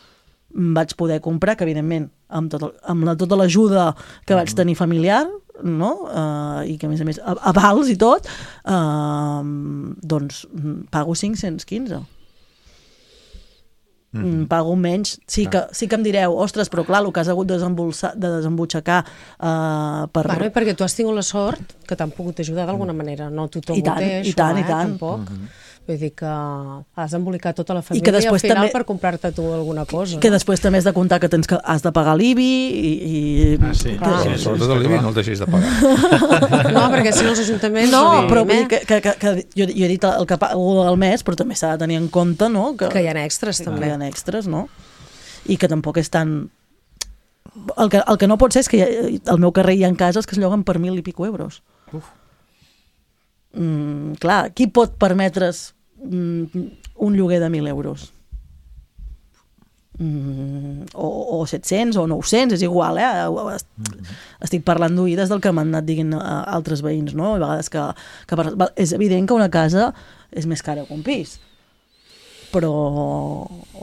vaig poder comprar, que evidentment amb, tot el, amb la, tota l'ajuda que vaig tenir familiar, no? Uh, i que a més a més avals i tot, uh, doncs pago cinc-cents quinze. Mm. Pago menys, sí que, sí que em direu, ostres, però clar, el que has hagut de, de desembutxacar uh, per... Bueno, i perquè tu has tingut la sort que t'han pogut ajudar d'alguna manera, no tothom I tant, ho té, i això, tant, eh, i tant. tampoc. Mm-hmm. Vull dir que has d'embolicar tota la I família que i al final també, per comprar-te tu alguna cosa. Que no? després també has de comptar que tens que has de pagar l'I B I i... Ah, sí, ah, sí, sobretot l'I B I no el deixis de pagar. No, perquè si no els ajuntaments... No, però vull dir que, que, que, que jo, jo he dit el que pago al mes, però també s'ha de tenir en compte, no? Que, que hi ha extras, també. Que hi ha extras, no? I que tampoc és tan... El que, el que no pot ser és que hi ha, al meu carrer hi ha cases que es lloguen per mil i pico euros. Uf. Mm, clar, qui pot permetre's mm, un lloguer de mil euros? Mm, o, o set-cents o nou-cents, és igual, eh? Estic parlant d'oïdes del que m'han anat dient altres veïns, no? A vegades que, que és evident que una casa és més cara que un pis. Però,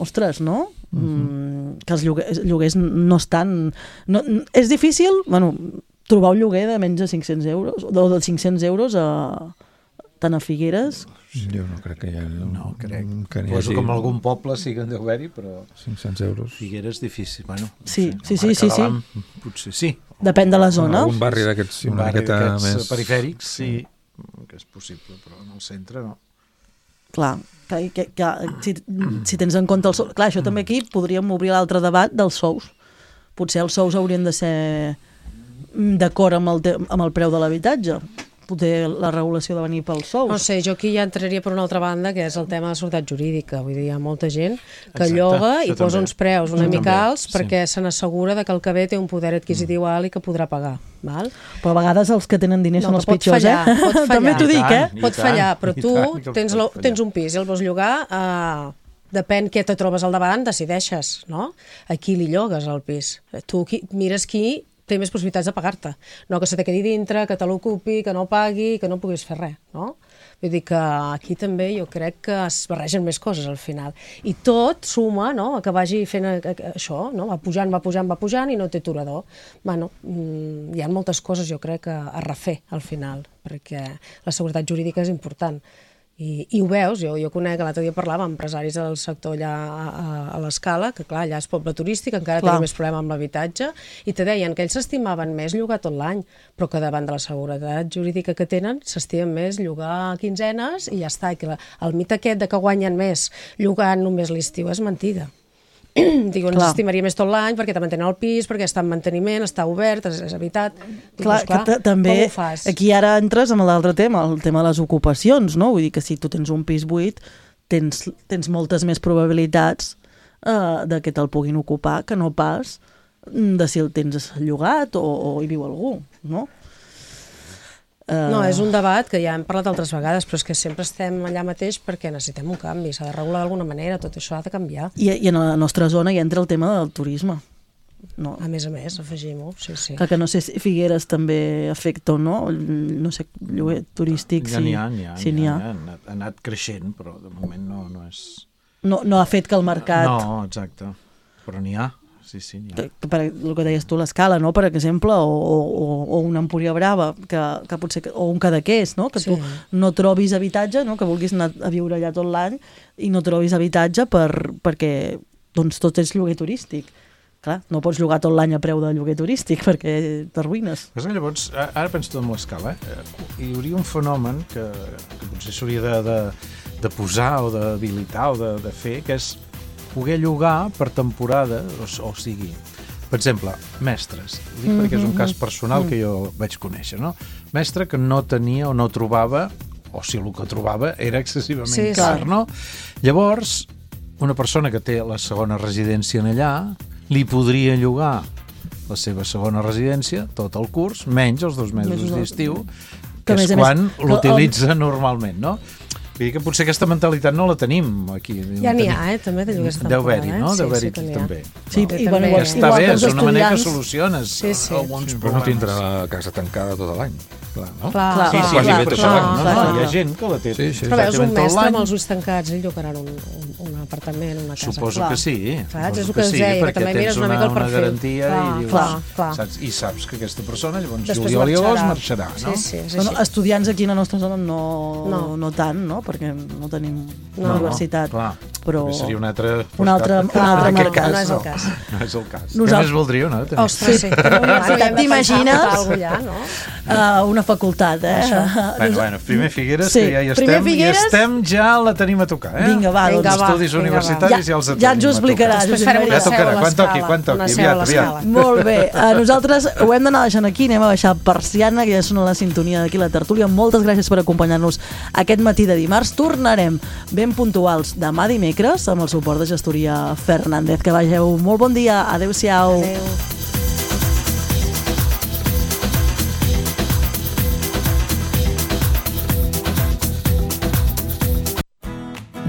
ostres, no? Mm, que els lloguers, lloguers no estan... No, és difícil, bueno, trobar un lloguer de menys de cinc-cents euros, o de cinc-cents euros a, tant a Figueres. Jo no crec que hi ha... No, crec. Que Poso hagi... com algun poble sí que en deu haver-hi, però... cinc-cents euros. Figueres difícil, bueno... Sí, no sí, sé, sí, sí, sí. Potser sí. Depèn de la zona. Un barri d'aquests un una barri miqueta més... perifèrics, sí, que és possible, però en el centre no. Clar, que, que, que, si, si tens en compte el sou... Clar, això també aquí podríem obrir l'altre debat dels sous. Potser els sous haurien de ser d'acord amb el, te... amb el preu de l'habitatge. Potser la regulació de venir pels sous. No sé, jo aquí ja entraria per una altra banda, que és el tema de seguretat jurídica. Vull dir, hi ha molta gent que Exacte, lloga i posa també. uns preus una Això mica també, alts sí. perquè se n'assegura que el que ve té un poder adquisitiu alt i que podrà pagar. Val? Però a vegades els que tenen diners no, són els pot pitjors, fallar, eh? Pot fallar. També t'ho dic, eh? Pot tant, fallar, però tu tant, tens, lo, tens un pis i el vols llogar, eh, depèn què te trobes al davant, decideixes, no? A qui li llogues el pis. Tu qui, mires qui té més possibilitats de pagar-te. No que se te quedi dintre, que te l'ocupi, que no pagui, que no puguis fer res, no? Vull dir que aquí també jo crec que es barregen més coses al final. I tot suma, no?, que vagi fent això, no? Va pujant, va pujant, va pujant i no té aturador. Bueno, hi ha moltes coses, jo crec, a refer al final, perquè la seguretat jurídica és important. I, i ho veus, jo, jo conec, l'altre dia parlava amb empresaris del sector allà a, a, a l'Escala, que clar, allà és poble turístic, encara tenen més problema amb l'habitatge, i te deien que ells s'estimaven més llogar tot l'any, però que davant de la seguretat jurídica que tenen, s'estimen més llogar quinzenes i ja està, i que la, el mite aquest de que guanyen més llogant només l'estiu és mentida. Digo, ens estimaria més tot l'any perquè te mantenen el pis, perquè està en manteniment, està obert, és, és habitat. Dic, clar, clar, que també com ho fas? Aquí ara entres amb l'altre tema, el tema de les ocupacions, no? Vull dir que si tu tens un pis buit, tens, tens moltes més probabilitats uh, de que te'l puguin ocupar que no pas de si el tens llogat o, o hi viu algú, no? No, és un debat que ja hem parlat altres vegades, però és que sempre estem allà mateix perquè necessitem un canvi, s'ha de regular d'alguna manera, tot això ha de canviar. I, i en la nostra zona hi entra el tema del turisme. No. A més a més, afegim-ho, sí, sí. Que, que no sé si Figueres també afecta o no, no sé, lloguer turístic, ja si n'hi ha, n'hi ha, si n'hi n'hi ha, ha. ha anat, ha anat creixent, però de moment no, no és... No, no ha fet que el mercat... No, exacte, però n'hi ha. Sí, sí, n'hi ha. Que, per el que deies tu, l'Escala, no? Per exemple, o, o, o una Empúria Brava, que, que potser, o un Cadaqués, no? Que sí. Tu no trobis habitatge, no? Que vulguis anar a viure allà tot l'any i no trobis habitatge per, perquè doncs, tot és lloguer turístic. Clar, no pots llogar tot l'any a preu de lloguer turístic perquè t'arruïnes. Llavors, ara penso tot amb l'Escala, eh? Hi hauria un fenomen que, que potser s'hauria de, de, de posar o d'habilitar o de, de fer, que és poder llogar per temporada, o, o sigui, Per exemple, mestres. Dic mm-hmm. perquè és un cas personal que jo vaig conèixer, no? Mestre que no tenia o no trobava, o si el que trobava era excessivament sí, car, sí. no? Llavors, una persona que té la segona residència en allà li podria llogar la seva segona residència, tot el curs, menys els dos mesos d'estiu, que, que és quan l'utilitza normalment, no? Vull dir que potser aquesta mentalitat no la tenim aquí. Ja n'hi ha, eh, també, de lloguers de temporada. Deu haver-hi, no? Eh? Deu haver-hi sí, sí també. Sí, no? i bueno, igual, està igual, bé, és una manera que estudiants... soluciones sí, sí. alguns sí, problemes. Però no tindrà la casa tancada tot l'any. Clar, no? Clar, sí, clar, sí, clar, sí, clar, clar, clar, no, no, clar. hi ha gent que la té. Sí, sí. Però veus, un mestre amb els ulls tancats, ell llogaran un, un, un apartament, una casa. Suposo clar. que sí. Saps? És el que que us sí, deia, que perquè també tens mires una mica el una perfil. garantia clar, i, dius, clar, clar. saps? I saps que aquesta persona llavors Després juliol i agost marxarà. marxarà, no? Sí, sí, és Bueno, així. estudiants aquí a la nostra zona no, No. no tant, no? Perquè no tenim No, universitat. clar. Però... Seria un altre... Un altre, un Clar, altre en aquest mercat. cas no és el cas. No és el cas. Nosaltres- Què més voldríeu, no? També. Ostres, sí. T'imagines? Ja, no? Uh, una facultat, eh? Bueno, bueno, primer Figueres, Sí, que ja hi primer estem, Figueres- i estem, ja la tenim a tocar, eh? Vinga, va, Vinga, doncs. va. Estudis vinga, universitaris va. ja els Ja- tenim ja ens ho a tocar. explicaràs, Després Josep farem Maria. una Ja seu a tocarà, quan toqui, l'escala. quan toqui, Una seu a aviat, l'escala. aviat. Molt bé, uh, nosaltres ho hem d'anar deixant aquí, anem a baixar persiana, que ja sona la sintonia d'aquí la tertúlia. Moltes gràcies per acompanyar-nos aquest matí de dimarts. Tornarem ben puntuals demà dimecres amb el suport de Gestoria Fernández. Que vageu molt bon dia, adeu-siau. Adéu.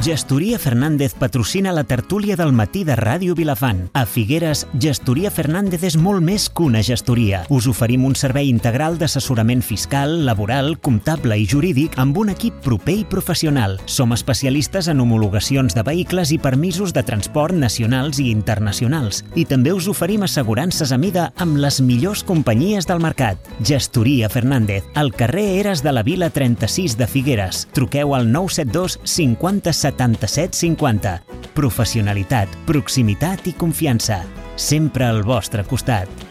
Gestoria Fernández patrocina la tertúlia del matí de Ràdio Vilafant. A Figueres, Gestoria Fernández és molt més que una gestoria. Us oferim un servei integral d'assessorament fiscal, laboral, comptable i jurídic amb un equip proper i professional. Som especialistes en homologacions de vehicles i permisos de transport nacionals i internacionals. I també us oferim assegurances a mida amb les millors companyies del mercat. Gestoria Fernández, al carrer Eres de la Vila trenta-sis de Figueres. Truqueu al nou set dos cinquanta setanta-set cinquanta. Professionalitat, proximitat i confiança. Sempre al vostre costat.